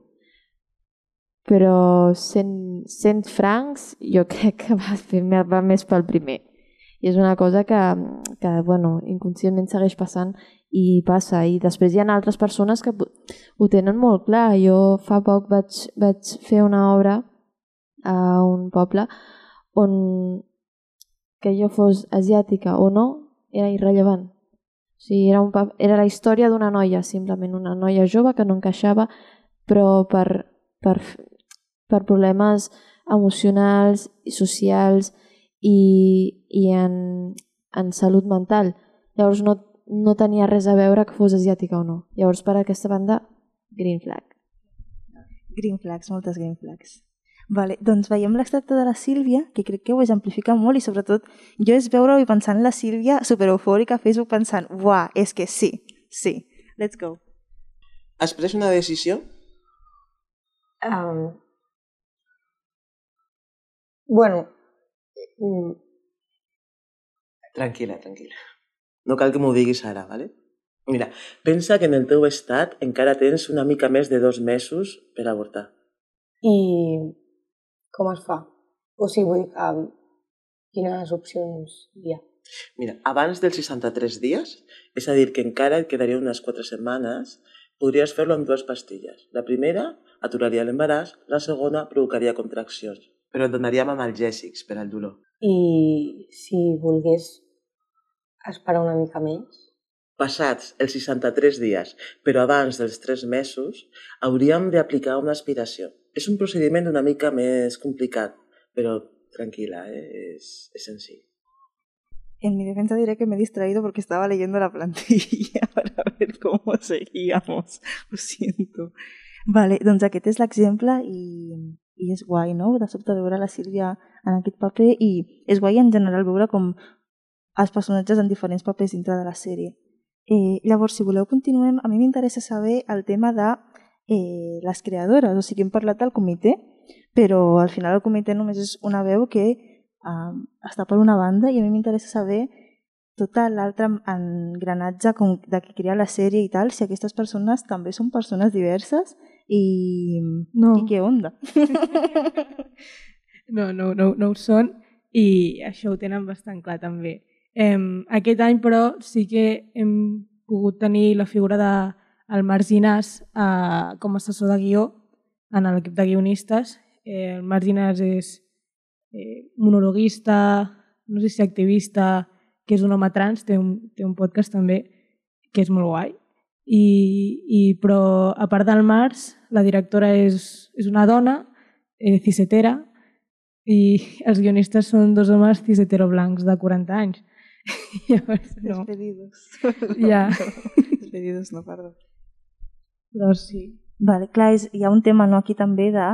Però sent francs, jo crec que va més pel primer. I és una cosa que inconscientment segueix passant i passa. I després hi ha altres persones que ho tenen molt clar. Jo fa poc vaig fer una obra a un poble on que jo fos asiàtica o no era irrellevant. O sigui, era la història d'una noia, simplement una noia jove que no encaixava, però per problemes emocionals i socials i en salut mental. Llavors no tenia res a veure que fos asiàtica o no. Llavors per aquesta banda, green flag. Green flags, moltes green flags. Vale, doncs veiem l'extracte de la Sílvia, que crec que ho exemplifica molt i sobretot jo és veure-ho i pensant en la Sílvia supereufòrica a Facebook pensant, uah, és que sí, let's go. Has pres una decisió? Bueno... Tranquil·la. No cal que m'ho diguis ara, ¿vale? Mira, pensa que en el teu estat encara tens una mica més de 2 mesos per avortar. I com es fa? O sigui, quines opcions hi ha? Mira, abans dels 63 dies, és a dir, que encara et quedaria unes 4 setmanes, podries fer-lo amb 2 pastilles. La primera aturaria l'embaràs, la segona provocaria contraccions, però et donaríem analgèsics per al dolor. I si volgués esperar una mica més? Passats els 63 dies, però abans dels 3 mesos, hauríem d'aplicar una aspiració. És un procediment una mica més complicat, però tranquil·la, és senzill. En mi defensa diré que me he distraído porque estaba leyendo la plantilla para ver cómo seguíamos. Lo siento. Vale, doncs aquest és l'exemple i és guai, no? De sobte veure la Sílvia en aquest paper i és guai en general veure com els personatges en diferents papers dintre de la sèrie. Llavors, si voleu, continuem. A mi m'interessa saber el tema de les creadores. O sigui, hem parlat del comitè, però al final el comitè només és una veu que està per una banda i a mi m'interessa saber tot l'altre engranatge de qui crea la sèrie i tal, si aquestes persones també són persones diverses i què onda? No ho són i això ho tenen bastant clar també. Aquest any, però, sí que hem pogut tenir la figura del Marc Ginàs com a assessor de guió en l'equip de guionistes. El Marc Ginàs és monologuista, no sé si activista, que és un home trans, té un podcast també que és molt guai. Però a part del Marc, la directora és una dona cisetera i els guionistes són 2 homes cisetero-blancs de 40 anys. Despedidos. Ja. Despedidos, no, perdó. Però sí. Vale, clar, hi ha un tema aquí també de...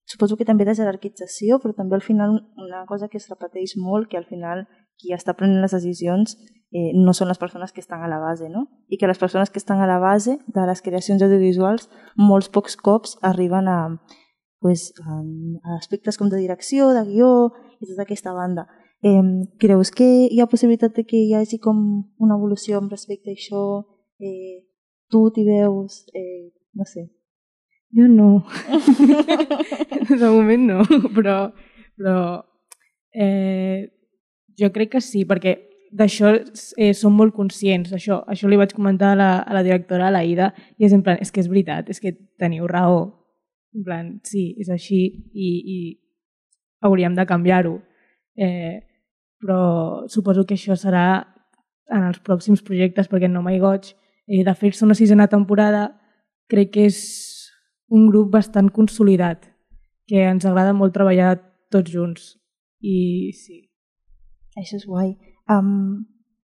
Suposo que també de jerarquització, però també al final una cosa que es repeteix molt, que al final qui està prenent les decisions no són les persones que estan a la base, no? I que les persones que estan a la base de les creacions audiovisuals molts pocs cops arriben a aspectes com de direcció, de guió i tota aquesta banda. Creus que hi ha possibilitat de que hi hagi com una evolució amb respecte a això? Tu t'hi veus? No sé. Jo no. De moment no, però jo crec que sí, perquè d'això som molt conscients. Això li vaig comentar a la directora, a l'Aida, i és en plan, és que és veritat, és que teniu raó. En plan, sí, és així i hauríem de canviar-ho. Però suposo que això serà en els pròxims projectes, perquè No My Goig, de fer-se una 6a temporada, crec que és un grup bastant consolidat, que ens agrada molt treballar tots junts. I sí. Això és guai.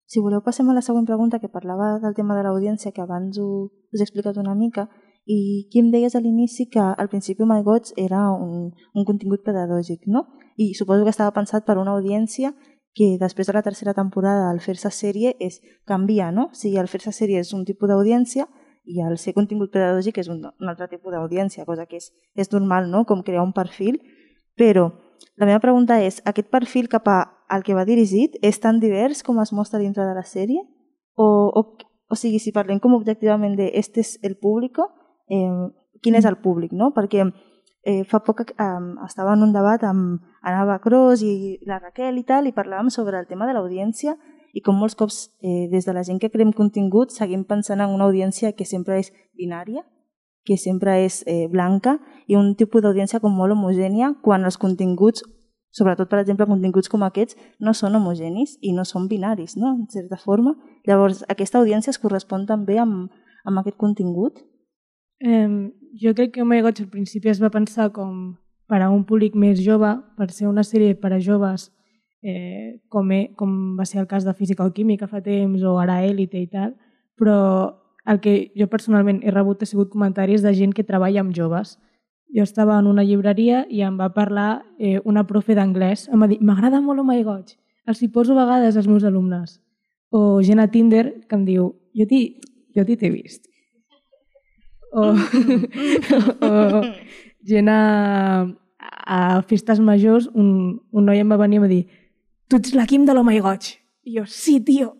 Si voleu passem a la següent pregunta, que parlava del tema de l'audiència, que abans us he explicat una mica, i qui em deies a l'inici que al principi My Goig era un contingut pedagògic, no? I suposo que estava pensat per una audiència que després de la 3a temporada al fer-se sèrie és canviar, no? O sigui, al fer-se sèrie és un tipus d'audiència i al ser contingut pedagògic és un altre tipus d'audiència, cosa que és normal, no? Com crear un perfil, però la meva pregunta és, aquest perfil cap al que va dirigit és tan divers com es mostra dintre de la sèrie? O sigui, si parlem com objectivament de este és el públic, quin és el públic, no? Perquè fa poc estava en un debat amb Anava Cros i la Raquel i tal, i parlàvem sobre el tema de l'audiència i com molts cops des de la gent que creem contingut seguim pensant en una audiència que sempre és binària, que sempre és blanca, i un tipus d'audiència com molt homogènia quan els continguts, sobretot per exemple continguts com aquests, no són homogenis i no són binaris, no? En certa forma. Llavors, aquesta audiència es correspon també amb aquest contingut? Jo crec que Oh My God al principi es va pensar com per a un públic més jove, per ser una sèrie per a joves, com va ser el cas de Física o Química fa temps, o ara Élite i tal, però el que jo personalment he rebut ha sigut comentaris de gent que treballa amb joves. Jo estava en una llibreria i em va parlar una profe d'anglès, em va dir, m'agrada molt Oh My God, els hi poso a vegades als meus alumnes. O gent a Tinder que em diu, jo t'he vist. O gent a festes majors, un noi em va venir i em va dir, tu ets la Kim de l'Oh My God. I jo, sí, tio.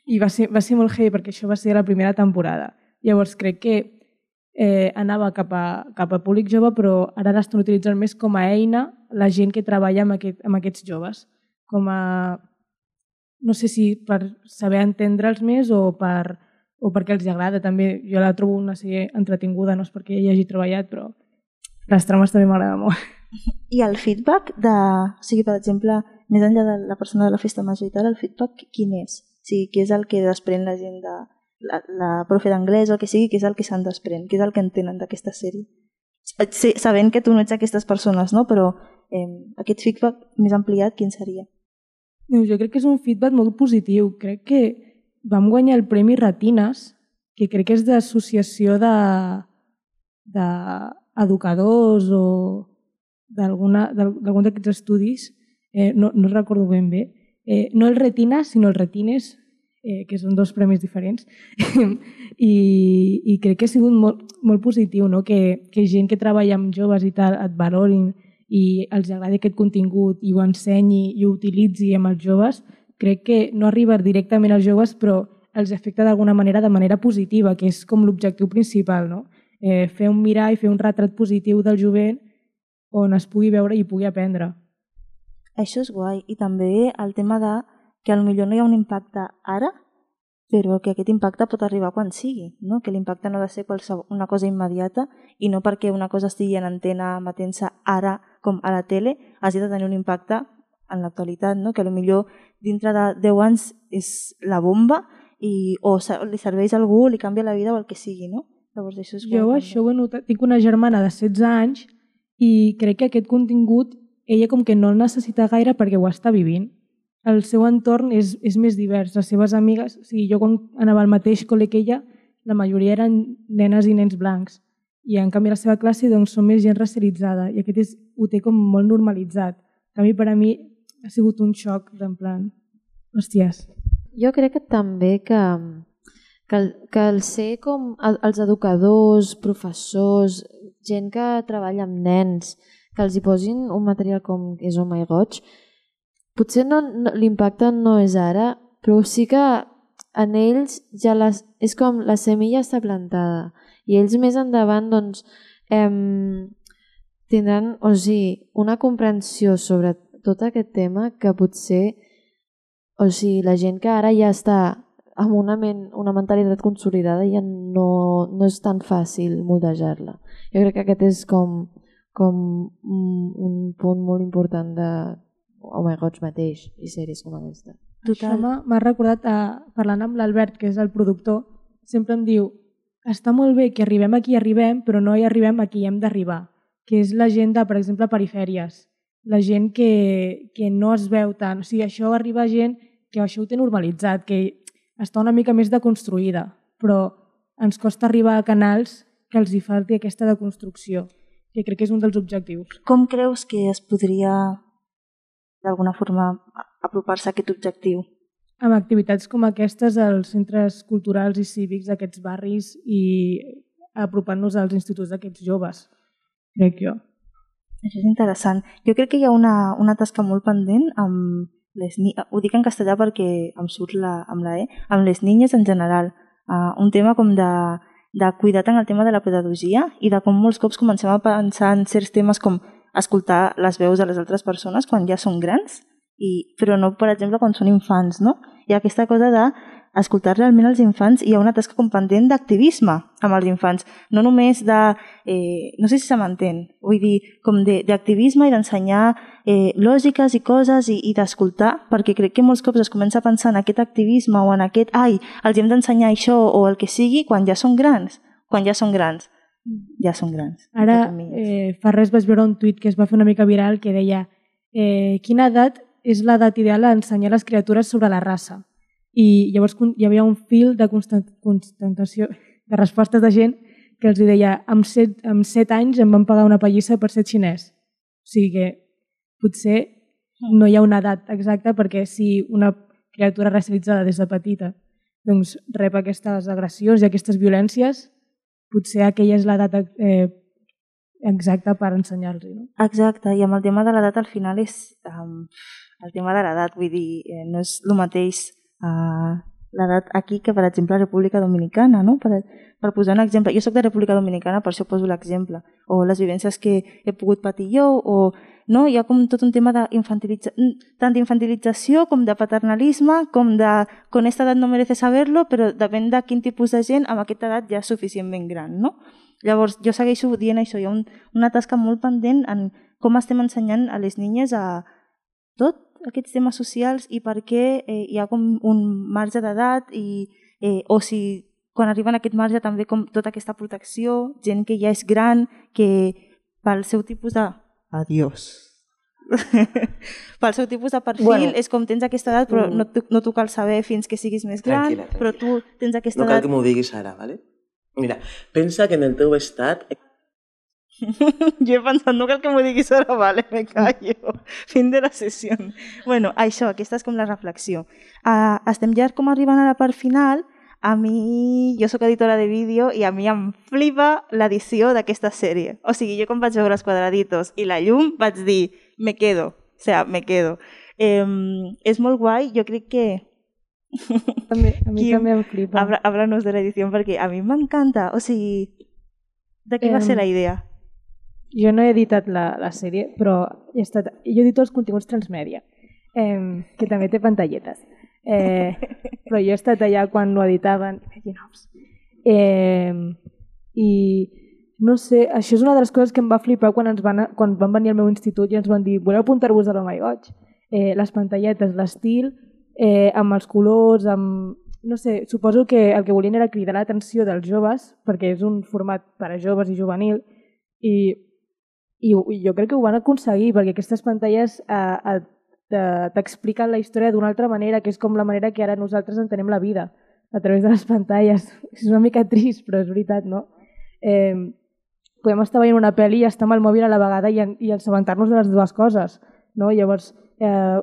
I va ser molt heavy perquè això va ser la primera temporada. Llavors crec que anava cap a públic jove, però ara l'estan utilitzant més com a eina la gent que treballa amb aquests joves. Com a, no sé si per saber entendre'ls més o perquè els agrada. També jo la trobo una sèrie entretinguda, no és perquè hi hagi treballat, però les trames també m'agrada molt. I el feedback o sigui, per exemple, més enllà de la persona de la festa major i tal, el feedback quin és? O sigui, què és el que desprèn la gent de la profe d'anglès o el que sigui, què és el que se'n desprèn? Què és el que entenen d'aquesta sèrie? Sabent que tu no ets aquestes persones, no? Però aquest feedback més ampliat, quin seria? Jo crec que és un feedback molt positiu. Crec que vam guanyar el Premi Retines, que crec que és d'associació d'educadors o d'algun d'aquests estudis, no recordo ben bé. No el Retina, sinó el Retines, que són dos premis diferents. I crec que ha sigut molt positiu, no? Que gent que treballa amb joves i tal et valorin i els agradi aquest contingut i ho ensenyi i ho utilitzi amb els joves. Crec que no arriba directament als joves, però els afecta d'alguna manera de manera positiva, que és com l'objectiu principal, no? Fer un mirall, fer un retrat positiu del jovent on es pugui veure i pugui aprendre. Això és guai. I també el tema de que potser no hi ha un impacte ara, però que aquest impacte pot arribar quan sigui, no? Que l'impacte no ha de ser una cosa immediata i no perquè una cosa estigui en antena emetent-se ara com a la tele hagi de tenir un impacte en l'actualitat, no? Que potser dintre de 10 anys és la bomba o li serveix a algú, li canvia la vida o el que sigui, no? Llavors això és jo això ho he notat. Tinc una germana de 16 anys i crec que aquest contingut ella com que no el necessita gaire perquè ho està vivint. El seu entorn és més divers. Les seves amigues, o sigui, jo quan anava al mateix col·le que ella, la majoria eren nenes i nens blancs. I en canvi la seva classe doncs, són més gent racialitzada i aquest ho té com molt normalitzat. En canvi per a mi ha sigut un xoc d'en plan, hòsties. Jo crec que també que el ser com els educadors, professors, gent que treballa amb nens, que els hi posin un material com és Oh My God, potser l'impacte no és ara, però sí que en ells ja és com la semilla està plantada i ells més endavant doncs, tindran una comprensió sobre tot aquest tema que potser la gent que ara ja està amb una mentalitat consolidada ja no és tan fàcil moldejar-la. Jo crec que aquest és com un punt molt important de Oh My God mateix i sèries com aquesta. Això m'ha recordat, parlant amb l'Albert, que és el productor, sempre em diu, està molt bé que arribem a qui arribem, però no hi arribem a qui hem d'arribar, que és la gent de, per exemple, perifèries, la gent que no es veu tant. O sigui, això arriba a gent que això ho té normalitzat, que està una mica més deconstruïda, però ens costa arribar a canals que els hi falti aquesta deconstrucció, que crec que és un dels objectius. Com creus que es podria d'alguna forma apropar-se a aquest objectiu? Amb activitats com aquestes als centres culturals i cívics d'aquests barris i apropant-nos als instituts d'aquests joves, crec jo. Això és interessant. Jo crec que hi ha una tasca molt pendent amb les ho dic en castellà perquè em surt amb la E, amb les niñes en general. Un tema com de cuidar tant el tema de la pedagogia i de com molts cops comencem a pensar en certs temes com escoltar les veus de les altres persones quan ja són grans, però no, per exemple, quan són infants, no? Hi ha aquesta cosa d'escoltar realment els infants i hi ha una tasca com pendent d'activisme amb els infants, no només de, no sé si se m'entén, vull dir, com d'activisme i d'ensenyar lògiques i coses i d'escoltar, perquè crec que molts cops es comença a pensar en aquest activisme o en aquest, els hem d'ensenyar això o el que sigui quan ja són grans, ja són grans. Ara, fa res vaig veure un tuit que es va fer una mica viral que deia quina edat és l'edat ideal a ensenyar a les criatures sobre la raça. I llavors hi havia un fil de constatació, de respostes de gent que els deia amb 7 anys em van pagar una pallissa per ser xinès. O sigui que potser no hi ha una edat exacta perquè si una criatura racialitzada des de petita doncs rep aquestes agressions i aquestes violències, potser aquella és l'edat exacta per ensenyar-los. No? Exacte, i amb el tema de l'edat al final és el tema de l'edat, vull dir, no és el mateix l'edat aquí que, per exemple, a República Dominicana, no? Per posar un exemple. Jo soc de República Dominicana, per això poso l'exemple. O les vivències que he pogut patir jo, o no? Hi ha com tot un tema tant d'infantilització com de paternalisme, com de con esta edat no merece saberlo, però depèn de quin tipus de gent amb aquesta edat ja és suficientment gran, no? Llavors, jo segueixo dient això, hi ha una tasca molt pendent en com estem ensenyant a les niñes a tot aquests temes socials i per què hi ha com un marge d'edat o si quan arriben a aquest marge també com tota aquesta protecció, gent que ja és gran, que pel seu tipus de... Adiós. Pel seu tipus de perfil és com tens aquesta edat però no t'ho cal saber fins que siguis més gran, però tu tens aquesta edat... No cal que m'ho diguis ara, ¿vale? Mira, pensa que en el teu estat... Jo he pensat, no cal que m'ho diguis ara, vale, me callo. Fin de la sessió. Bueno, això, aquesta és com la reflexió. Estem ja com arribant a la part final. A mi, jo sóc editora de vídeo i a mi em flipa l'edició d'aquesta sèrie. O sigui, jo quan vaig veure els quadraditos i la llum vaig dir, me quedo. O sea, me quedo. És molt guai, jo crec que... A mi també em flipa. Háblanos de l'edició perquè a mi m'encanta. O sigui, de què va ser la idea? Jo no he editat la sèrie, però jo edito els continguts transmèdia, que també té pantalletes. Però jo he estat allà quan ho editaven. I no sé, això és una de les coses que em va flipar quan van venir al meu institut i ens van dir voleu apuntar-vos a l'Home i Goig? Les pantalletes, l'estil, amb els colors, amb... No sé, suposo que el que volien era cridar l'atenció dels joves, perquè és un format per a joves i juvenil, i jo crec que ho van aconseguir, perquè aquestes pantalles t'expliquen la història d'una altra manera, que és com la manera que ara nosaltres entenem la vida, a través de les pantalles. És una mica trist, però és veritat, no? Podem estar veient una pel·li i estar amb el mòbil a la vegada i assabentar-nos de les dues coses, no? Llavors,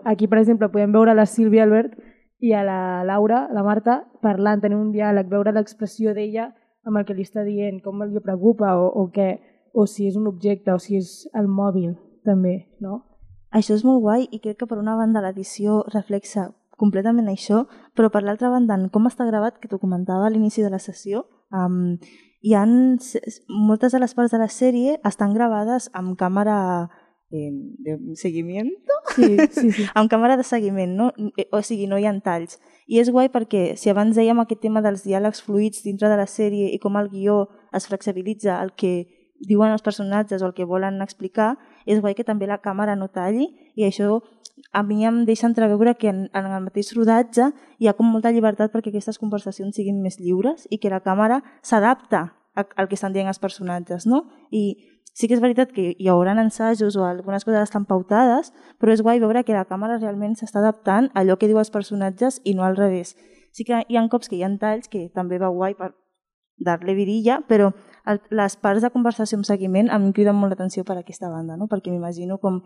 aquí, per exemple, podem veure la Sílvia Albert i a la Laura, la Marta, parlant, tenir un diàleg, veure l'expressió d'ella amb el que li està dient, com li preocupa o què, o si és un objecte, o si és el mòbil, també, no? Això és molt guai i crec que per una banda l'edició reflexa completament això, però per l'altra banda, en com està gravat, que t'ho comentava a l'inici de la sessió, moltes de les parts de la sèrie estan gravades amb càmera de seguimiento? Sí. Amb càmera de seguiment, no? O sigui, no hi ha talls. I és guai perquè si abans dèiem aquest tema dels diàlegs fluïts dintre de la sèrie i com el guió es flexibilitza el que diuen els personatges o el que volen explicar, és guai que també la càmera no talli i això a mi em deixa entreveure que en el mateix rodatge hi ha com molta llibertat perquè aquestes conversacions siguin més lliures i que la càmera s'adapta al que estan dient els personatges, no? I sí que és veritat que hi haurà ensajos o algunes coses estan pautades, però és guai veure que la càmera realment s'està adaptant a allò que diu els personatges i no al revés. Sí que hi ha cops que hi ha talls, que també va guai per dar-li virilla, però les parts de conversació amb seguiment a mi em criden molt l'atenció per aquesta banda, no? Perquè m'imagino com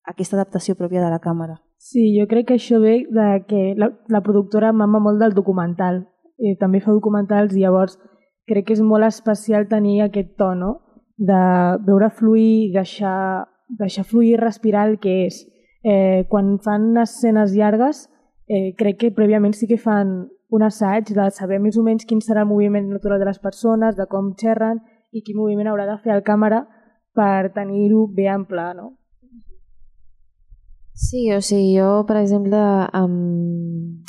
aquesta adaptació pròpia de la càmera. Sí, jo crec que això ve de que la productora mama molt del documental. També fa documentals i llavors crec que és molt especial tenir aquest to, no? de veure fluir, deixar fluir, respirar el que és. Quan fan escenes llargues, crec que prèviament sí que fan un assaig de saber més o menys quin serà el moviment natural de les persones, de com xerren i quin moviment haurà de fer el càmera per tenir-ho bé en pla, no? Sí, o sigui, jo, per exemple,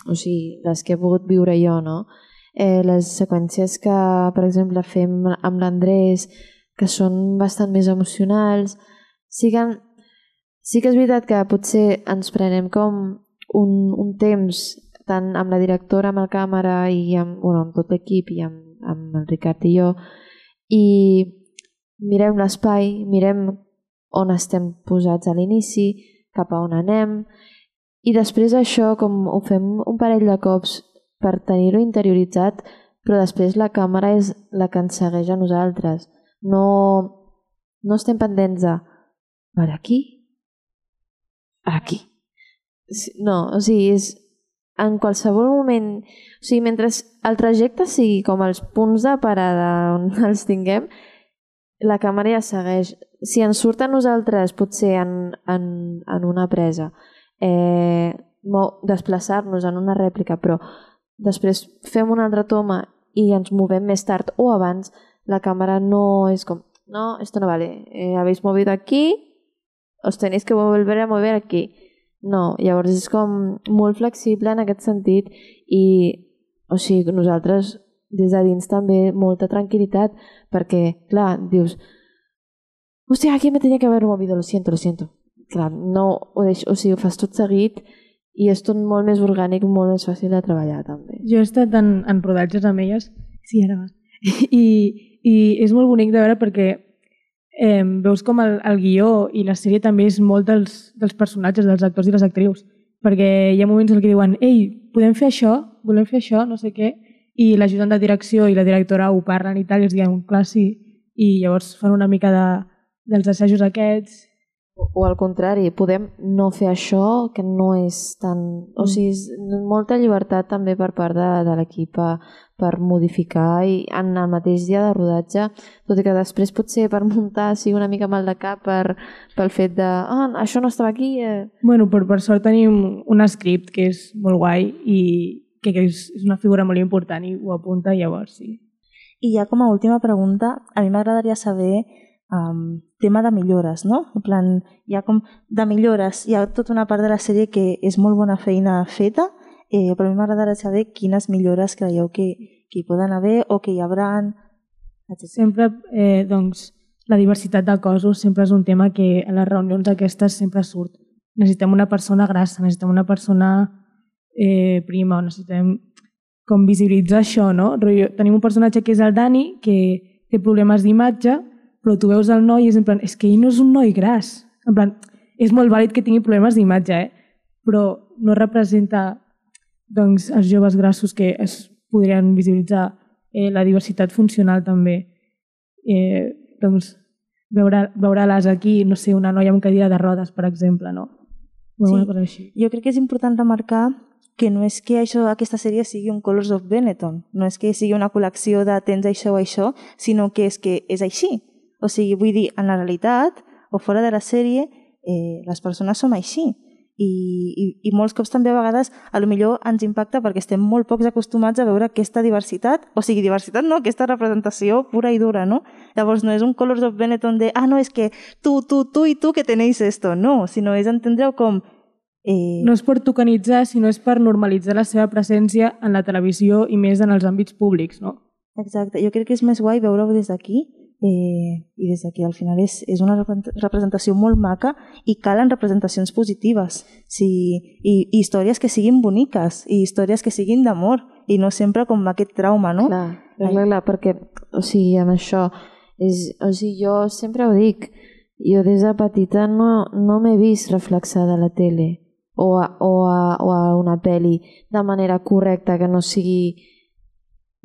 les que he pogut viure jo, no? Les seqüències que, per exemple, fem amb l'Andrés, que són bastant més emocionals, sí que és veritat que potser ens prenem com un temps, tant amb la directora, amb el càmera i amb tot l'equip i amb el Ricard i jo, i mirem l'espai, mirem on estem posats a l'inici, cap a on anem, i després això com ho fem un parell de cops per tenir-ho interioritzat, però després la càmera és la que ens segueix a nosaltres. No estem pendents de per aquí? Aquí. No, o sigui, és en qualsevol moment, o sigui, mentre el trajecte sigui com els punts de parada on els tinguem, la càmera ja segueix. Si ens surt a nosaltres, potser en una presa, desplaçar-nos en una rèplica, però després fem una altra toma i ens movem més tard o abans, la càmera no és com, no, esto no vale, habéis movido aquí, os tenéis que volver a mover aquí. No, llavors és com molt flexible en aquest sentit i, o sigui, nosaltres des de dins també molta tranquil·litat perquè, clar, dius hòstia, aquí me tenia que haver movido, lo siento. Clar, no ho deixo, o sigui, ho fas tot seguit i és tot molt més orgànic, molt més fàcil de treballar també. Jo he estat en rodatges amb elles, sí, ara va, i és molt bonic de veure perquè veus com el guió i la sèrie també és molt dels personatges, dels actors i les actrius, perquè hi ha moments en què diuen ei, podem fer això, volem fer això, no sé què, i l'ajudant de direcció i la directora ho parlen i tal, i els diuen, clar, sí, i llavors fan una mica dels assajos aquests. O al contrari, podem no fer això, que no és tan... O sigui, és molta llibertat també per part de l'equip per modificar i en el mateix dia de rodatge, tot i que després potser per muntar sigui una mica mal de cap pel fet de això no estava aquí. Bueno, per sort tenim un script que és molt guai i que és una figura molt important i ho apunta, llavors sí. I ja com a última pregunta, a mi m'agradaria saber tema de millores, no? En plan, hi ha com de millores, hi ha tota una part de la sèrie que és molt bona feina feta, però a mi m'agradaria saber quines millores creieu que hi poden haver o que hi haurà. Sempre, doncs, la diversitat de cossos sempre és un tema que a les reunions aquestes sempre surt. Necessitem una persona grassa, necessitem una persona prima, necessitem com visibilitzar això, no? Tenim un personatge que és el Dani, que té problemes d'imatge, però tu veus el noi i és en plan, és que ell no és un noi gras. En plan, és molt vàlid que tingui problemes d'imatge, però no representa doncs, els joves grassos que es podrien visibilitzar. La diversitat funcional també. Doncs, veure-les aquí, no sé, una noia amb cadira de rodes, per exemple, no? Sí. Jo crec que és important remarcar que no és que aquesta sèrie sigui un Colors of Benetton, no és que sigui una col·lecció de tens això o això, sinó que és així. O sigui, vull dir, en la realitat o fora de la sèrie, les persones som així. I molts cops també a vegades potser ens impacta perquè estem molt pocs acostumats a veure aquesta diversitat, o sigui, diversitat no, aquesta representació pura i dura, no? Llavors no és un Colors of Benetton de no, és que tu i tu que tenéis esto, no, sinó és entendre-ho com... No és per tokenitzar, sinó és per normalitzar la seva presència en la televisió i més en els àmbits públics, no? Exacte, jo crec que és més guai veure-ho des d'aquí i des d'aquí al final és una representació molt maca i calen representacions positives i històries que siguin boniques i històries que siguin d'amor i no sempre com aquest trauma, no? Clar, perquè o sigui, amb això jo sempre ho dic, jo des de petita no m'he vist reflexada a la tele o a una pel·li de manera correcta que no sigui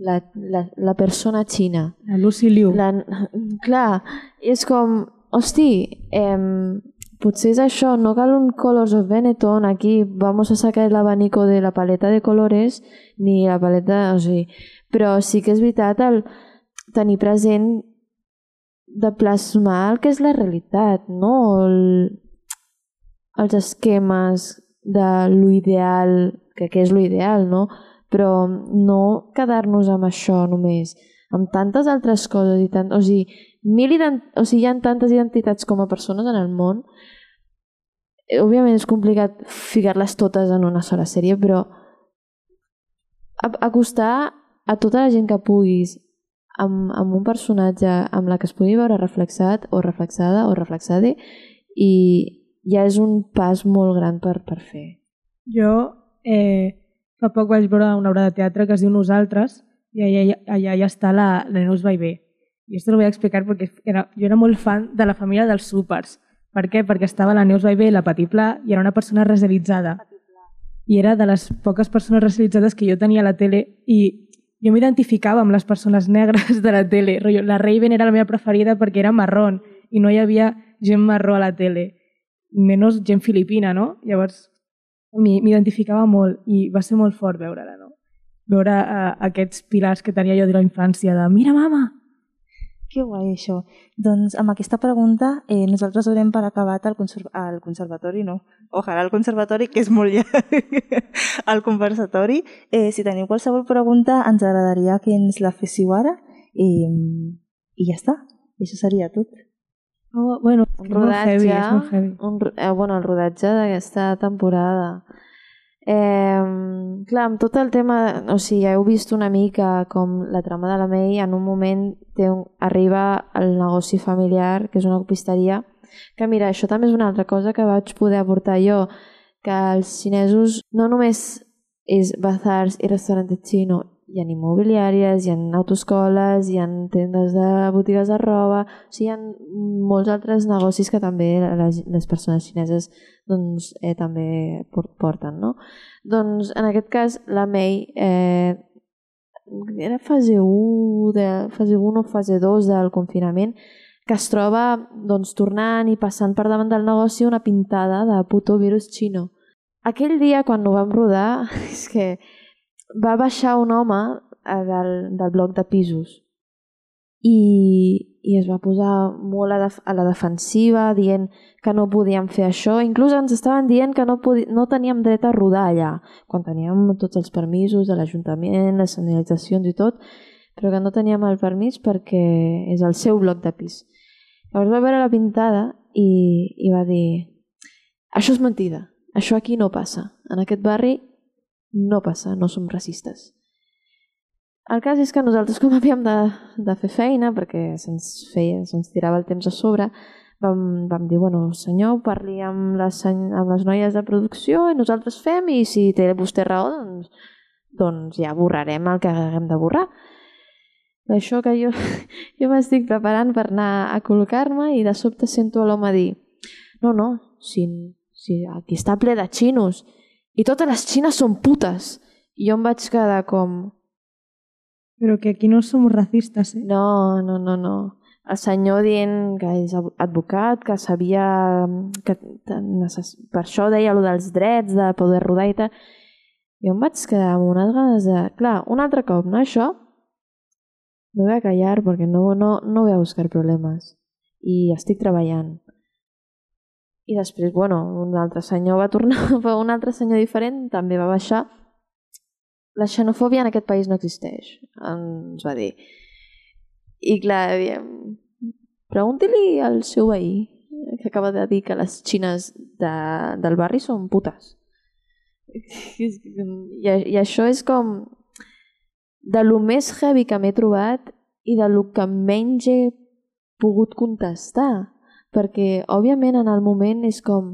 la persona xina. La Lucy Liu. Clar, és com, hosti, potser és això, no cal un Colors of Benetton, aquí vamos a sacar el abanico de la paleta de colores, ni la paleta, o sigui, però sí que és veritat el tenir present de plasmar el que és la realitat, no els esquemes de l'ideal, que és l'ideal, no? Però no quedar-nos amb això només, amb tantes altres coses, o sigui, hi ha tantes identitats com a persones en el món. Òbviament és complicat ficar-les totes en una sola sèrie, però acostar a tota la gent que puguis amb un personatge amb la que es pugui veure reflexat o reflexada o reflexada, i ja és un pas molt gran per fer. Jo fa poc vaig veure una obra de teatre que es diu Nosaltres, i allà ja està la Neus Baivé. I esto lo voy a explicar perquè jo era molt fan de La família dels súpers. Per què? Perquè estava la Neus Baivé, la Patí Pla, i era una persona racialitzada. I era de les poques persones racialitzades que jo tenia a la tele, i jo m'identificava amb les persones negres de la tele. La Raven era la meva preferida perquè era marrón, i no hi havia gent marró a la tele, menys gent filipina, no? Llavors m'identificava molt, i va ser molt fort veure-la, no? Veure aquests pilars que tenia jo de la infància, de mira mama! Que guai això. Doncs amb aquesta pregunta nosaltres donem per acabat el conservatori, no? Ojalà el conservatori, que és molt llarg, el conversatori. Si teniu qualsevol pregunta, ens agradaria que ens la féssiu ara i ja està. Això seria tot. Bueno, és molt heavy. El rodatge d'aquesta temporada. Clar, amb tot el tema, o sigui, ja heu vist una mica com la trama de la May en un moment arriba el negoci familiar, que és una copisteria, que mira, això també és una altra cosa que vaig poder aportar jo, que els xinesos no només és bazars i restaurants xino, hi ha immobiliàries, hi ha autoescoles, hi ha tendes de botigues de roba, o sigui, hi ha molts altres negocis que també les persones xineses doncs, també porten, no? Doncs en aquest cas la May era fase 1 o fase 2 del confinament, que es troba doncs, tornant i passant per davant del negoci una pintada de puto virus xino. Aquell dia quan ho vam rodar és que va baixar un home del bloc de pisos i es va posar molt a la defensiva, dient que no podíem fer això. Inclús ens estaven dient que no teníem dret a rodar allà, quan teníem tots els permisos de l'Ajuntament, les senyalitzacions i tot, però que no teníem el permís perquè és el seu bloc de pis. Llavors va veure la pintada i va dir: això és mentida, això aquí no passa, en aquest barri no passa, no som racistes. El cas és que nosaltres, com havíem de fer feina, perquè se'ns tirava el temps a sobre, vam dir, bueno, senyor, parli amb les noies de producció i nosaltres fem, i si té vostè raó, doncs ja borrarem el que haguem de borrar. Això que jo m'estic preparant per anar a col·locar-me i de sobte sento l'home dir: no, si aquí està ple de xinos i totes les xines són putes. I jo em vaig quedar com... Però que aquí no som racistes, eh? No. El senyor dient que és advocat, que sabia... Per això deia allò dels drets, de poder rodar i tal. Jo em vaig quedar amb unes ganes de... Clar, un altre cop, no? Això no voy a callar perquè no voy a buscar problemes. I estic treballant. I després, bueno, un altre senyor va tornar, un altre senyor diferent també va baixar. La xenofòbia en aquest país no existeix, ens va dir. I clar, pregunti-li al seu veí, que acaba de dir que les xines del barri són putes. I això és com de lo més heavy que m'he trobat i de lo que menys he pogut contestar. Perquè, òbviament, en el moment és com...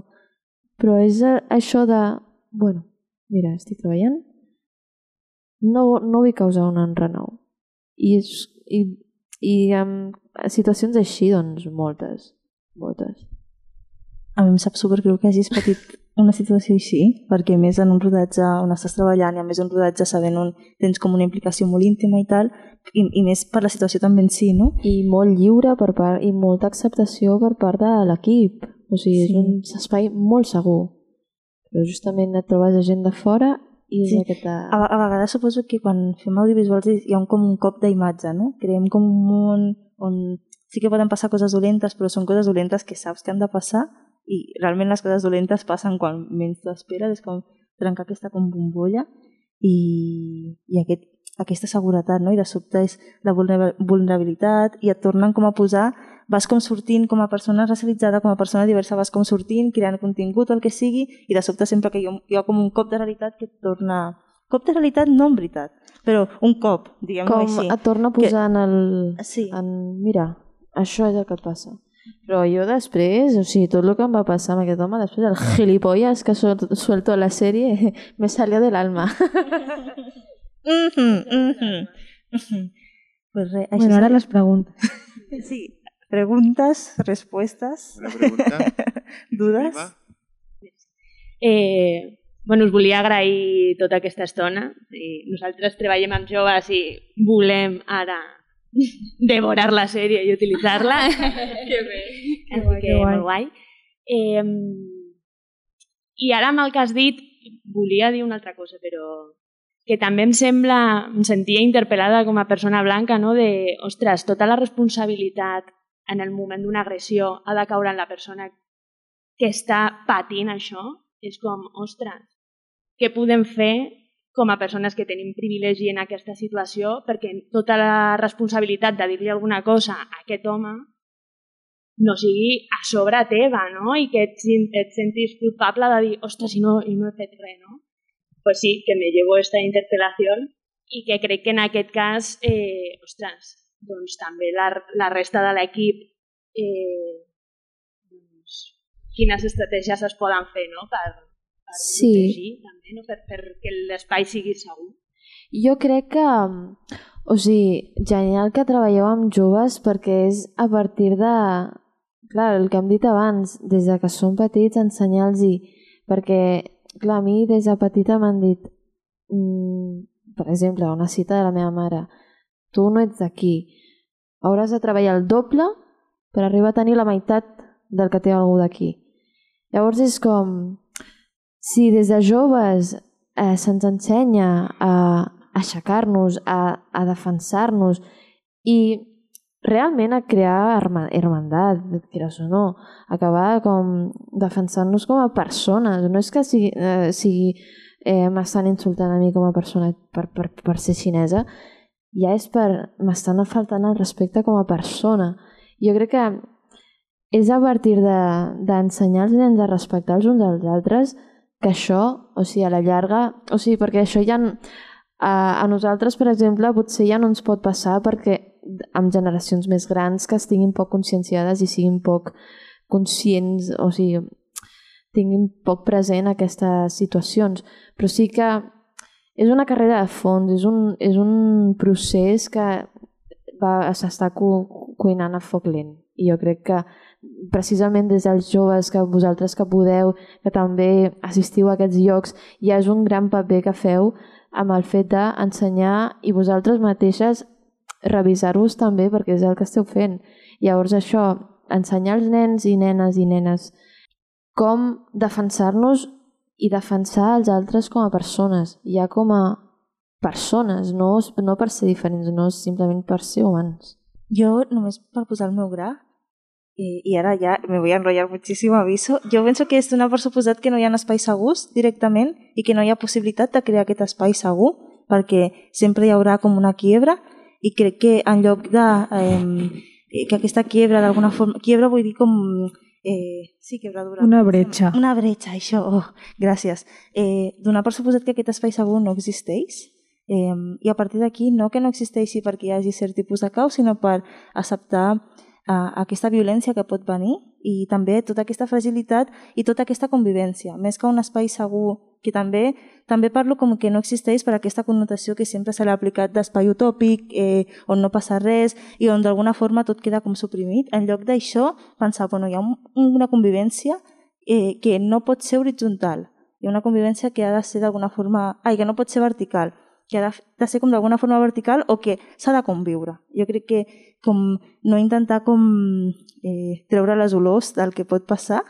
Però és això de... Bueno, mira, estic treballant. No vull causar un enrenou. I amb situacions així, doncs, moltes. A mi em sap supergreu que hagis patit una situació així, perquè més en un rodatge on estàs treballant i a més un rodatge sabent on tens com una implicació molt íntima i tal, i més per la situació també en si, no? I molt lliure per part, i molta acceptació per part de l'equip. O sigui, és un espai molt segur. Però justament et trobes gent de fora i és aquesta... A vegades suposo que quan fem audiovisuals hi ha com un cop d'imatge, no? Creem com un món on sí que poden passar coses dolentes, però són coses dolentes que saps que han de passar i realment les coses dolentes passen quan menys t'ho esperes, és com trencar aquesta com bombolla i aquesta seguretat, no? I de sobte és la vulnerabilitat i et tornen com a posar, vas com sortint com a persona racialitzada, com a persona diversa, vas com sortint, creant contingut o el que sigui, i de sobte sempre que hi ha com un cop de realitat que et torna... Cop de realitat no en veritat, però un cop, diguem-ho així. Com et torna a posar en el... Sí. Mira, això és el que et passa. Però jo després, o sigui, tot el que em va passar amb aquest home, després el gilipollas que suelto a la sèrie me salió de l'alma. Pues res, bueno, ara les preguntes. Sí, preguntes, respostes. Una pregunta. Dudes. Bueno, us volia agrair tota aquesta estona. Nosaltres treballem amb joves i volem ara devorar la sèrie i utilitzar-la. Que bé. Així que molt guai. I ara amb el que has dit volia dir una altra cosa, però que també em sentia interpel·lada com a persona blanca, no? De, ostres, tota la responsabilitat en el moment d'una agressió ha de caure en la persona que està patint això. És com, ostres, què podem fer com a persones que tenim privilegi en aquesta situació perquè tota la responsabilitat de dir-li alguna cosa a aquest home no sigui a sobre teva, no? I que et sentis culpable de dir, ostres, i no he fet res, no? Pues sí, que me llevo esta interpel·lació i que crec que en aquest cas, ostres, doncs també la resta de l'equip quines estratègies es poden fer, no? Per protegir també, no? Perquè l'espai sigui segur. Jo crec que, o sigui, genial que treballeu amb joves perquè és a partir de, clar, el que hem dit abans, des de que són petits ensenyar-los-hi, perquè, clar, a mi des de petita m'han dit, per exemple, una cita de la meva mare, tu no ets d'aquí, hauràs de treballar el doble per arribar a tenir la meitat del que té algú d'aquí. Llavors és com, si des de joves se'ns ensenya a aixecar-nos, a defensar-nos i realment a crear hermandat, quieras o no, acabar com defensant-nos com a persones. No és que m'estan insultant a mi com a persona per ser xinesa, ja és m'estan faltant el respecte com a persona. Jo crec que és a partir d'ensenyar els nens a respectar els uns als altres que això, o sigui, a la llarga, o sigui, perquè això ja a nosaltres, per exemple, potser ja no ens pot passar perquè amb generacions més grans que estiguin poc conscienciades i siguin poc conscients, o sigui, tinguin poc present aquestes situacions. Però sí que és una carrera de fons, és un procés que s'està cuinant a foc lent. I jo crec que precisament des dels joves, que vosaltres que podeu, que també assistiu a aquests llocs, ja és un gran paper que feu amb el fet d'ensenyar i vosaltres mateixes revisar-vos també perquè és el que esteu fent. Llavors això, ensenyar als nens i nenes com defensar-nos i defensar els altres com a persones, ja com a persones, no per ser diferents, no simplement per ser humans. Jo, només per posar el meu gra, i ara ja me voy a enrollar muchísimo, aviso, jo penso que és donar per suposat que no hi ha espais segurs directament i que no hi ha possibilitat de crear aquest espai segur perquè sempre hi haurà com una quiebra i crec que en lloc de que aquesta quiebra d'alguna forma, quiebra vull dir com sí, quebradura. Una bretxa. Una bretxa, això, gràcies. Donar per suposat que aquest espai segur no existeix i a partir d'aquí no que no existeixi perquè hi hagi cert tipus de caos, sinó per acceptar aquesta violència que pot venir i també tota aquesta fragilitat i tota aquesta convivència, més que un espai segur que també parlo com que no existeix per aquesta connotació que sempre se l'ha aplicat d'espai utòpic on no passa res i on d'alguna forma tot queda com suprimit. En lloc d'això, pensar, bueno, hi ha una convivència que no pot ser horitzontal, hi ha una convivència que ha de ser d'alguna forma, que no pot ser vertical, que ha de ser com d'alguna forma vertical o que s'ha de conviure. Jo crec que com no intentar com treure les olors del que pot passar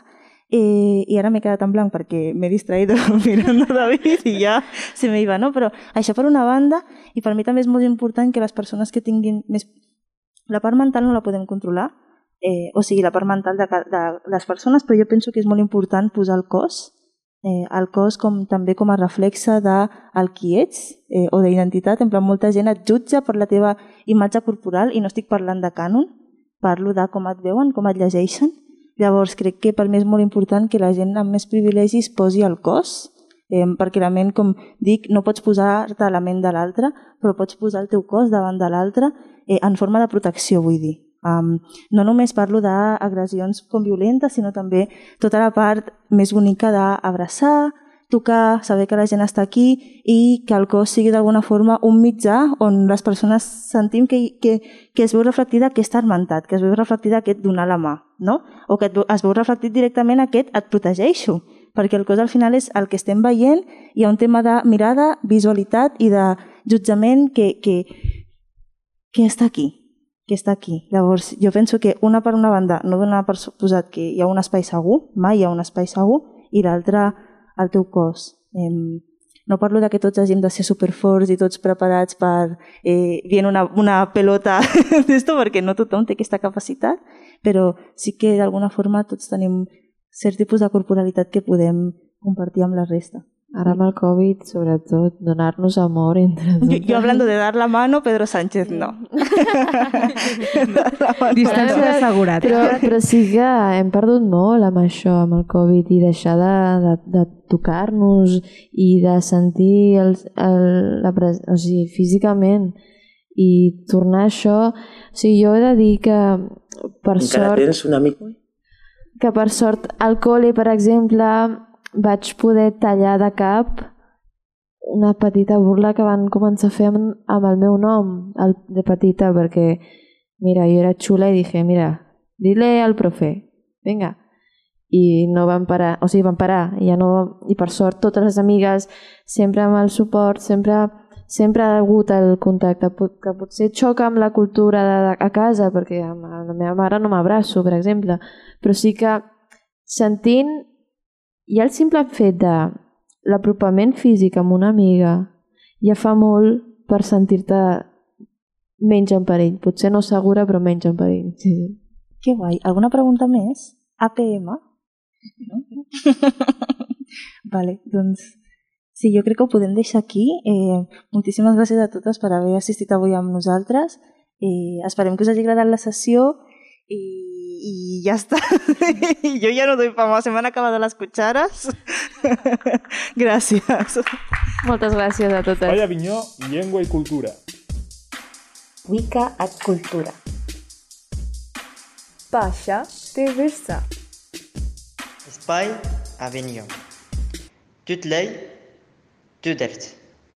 i ara m'he quedat en blanc perquè m'he distraït mirant a David i ja se me iba, no? Però això per una banda, i per mi també és molt important que les persones que tinguin més La part mental no la podem controlar, o sigui, la part mental de les persones, però jo penso que és molt important posar el cos també com a reflexe del qui ets o d'identitat. En plan, molta gent et jutja per la teva imatge corporal i no estic parlant de cànon, parlo de com et veuen, com et llegeixen. Llavors crec que per mi és molt important que la gent amb més privilegis posi el cos, perquè la ment, com dic, no pots posar-te la ment de l'altre, però pots posar el teu cos davant de l'altre en forma de protecció, vull dir. No només parlo d'agressions com violentes, sinó també tota la part més bonica d'abraçar, tocar, saber que la gent està aquí i que el cos sigui d'alguna forma un mitjà on les persones sentim que es veu reflectida aquesta hermantat, que es veu reflectida aquest donar la mà, no? O que es veu reflectit directament aquest et protegeixo, perquè el cos al final és el que estem veient, hi ha un tema de mirada, visualitat i de jutjament que està aquí. Llavors, jo penso que una per una banda no dona per suposat que hi ha un espai segur, mai hi ha un espai segur, i l'altra el teu cos. No parlo que tots hàgim de ser superforts i tots preparats per viene una pelota d'esto, perquè no tothom té aquesta capacitat, però sí que d'alguna forma tots tenim cert tipus de corporalitat que podem compartir amb la resta. Ara amb el Covid, sobretot, donar-nos amor entre tots. Jo hablando de dar la mano, Pedro Sánchez, no. Distància de seguretat. Però sí que hem perdut molt amb això, amb el Covid, i deixar de tocar-nos i de sentir físicament i tornar a això. O sigui, jo he de dir que per sort... Encara tens un amic? Que per sort al col·le, per exemple, vaig poder tallar de cap una petita burla que van començar a fer amb el meu nom de petita, perquè mira, jo era xula i dije, mira, dile al profe, vinga. I no van parar, o sigui, van parar, i per sort totes les amigues, sempre amb el suport, sempre ha hagut el contacte, que potser xoca amb la cultura a casa, perquè amb la meva mare no m'abraço, per exemple, però sí que sentint, i el simple fet de l'apropament físic amb una amiga ja fa molt per sentir-te menys en perill. Potser no segura, però menys en perill. Sí. Que guai. Alguna pregunta més? APM? No? Vale, doncs sí, jo crec que ho podem deixar aquí. Moltíssimes gràcies a totes per haver assistit avui amb nosaltres. Esperem que us hagi agradat la sessió y ya está. Yo ya no doy para más, se me han acabado las cucharas. Gràcies. Moltes gràcies a totes. Espai Avinyó, llengua i cultura. Wicca et cultura. Pasha te versa. Espai Avinyó. Tutlej, tudert.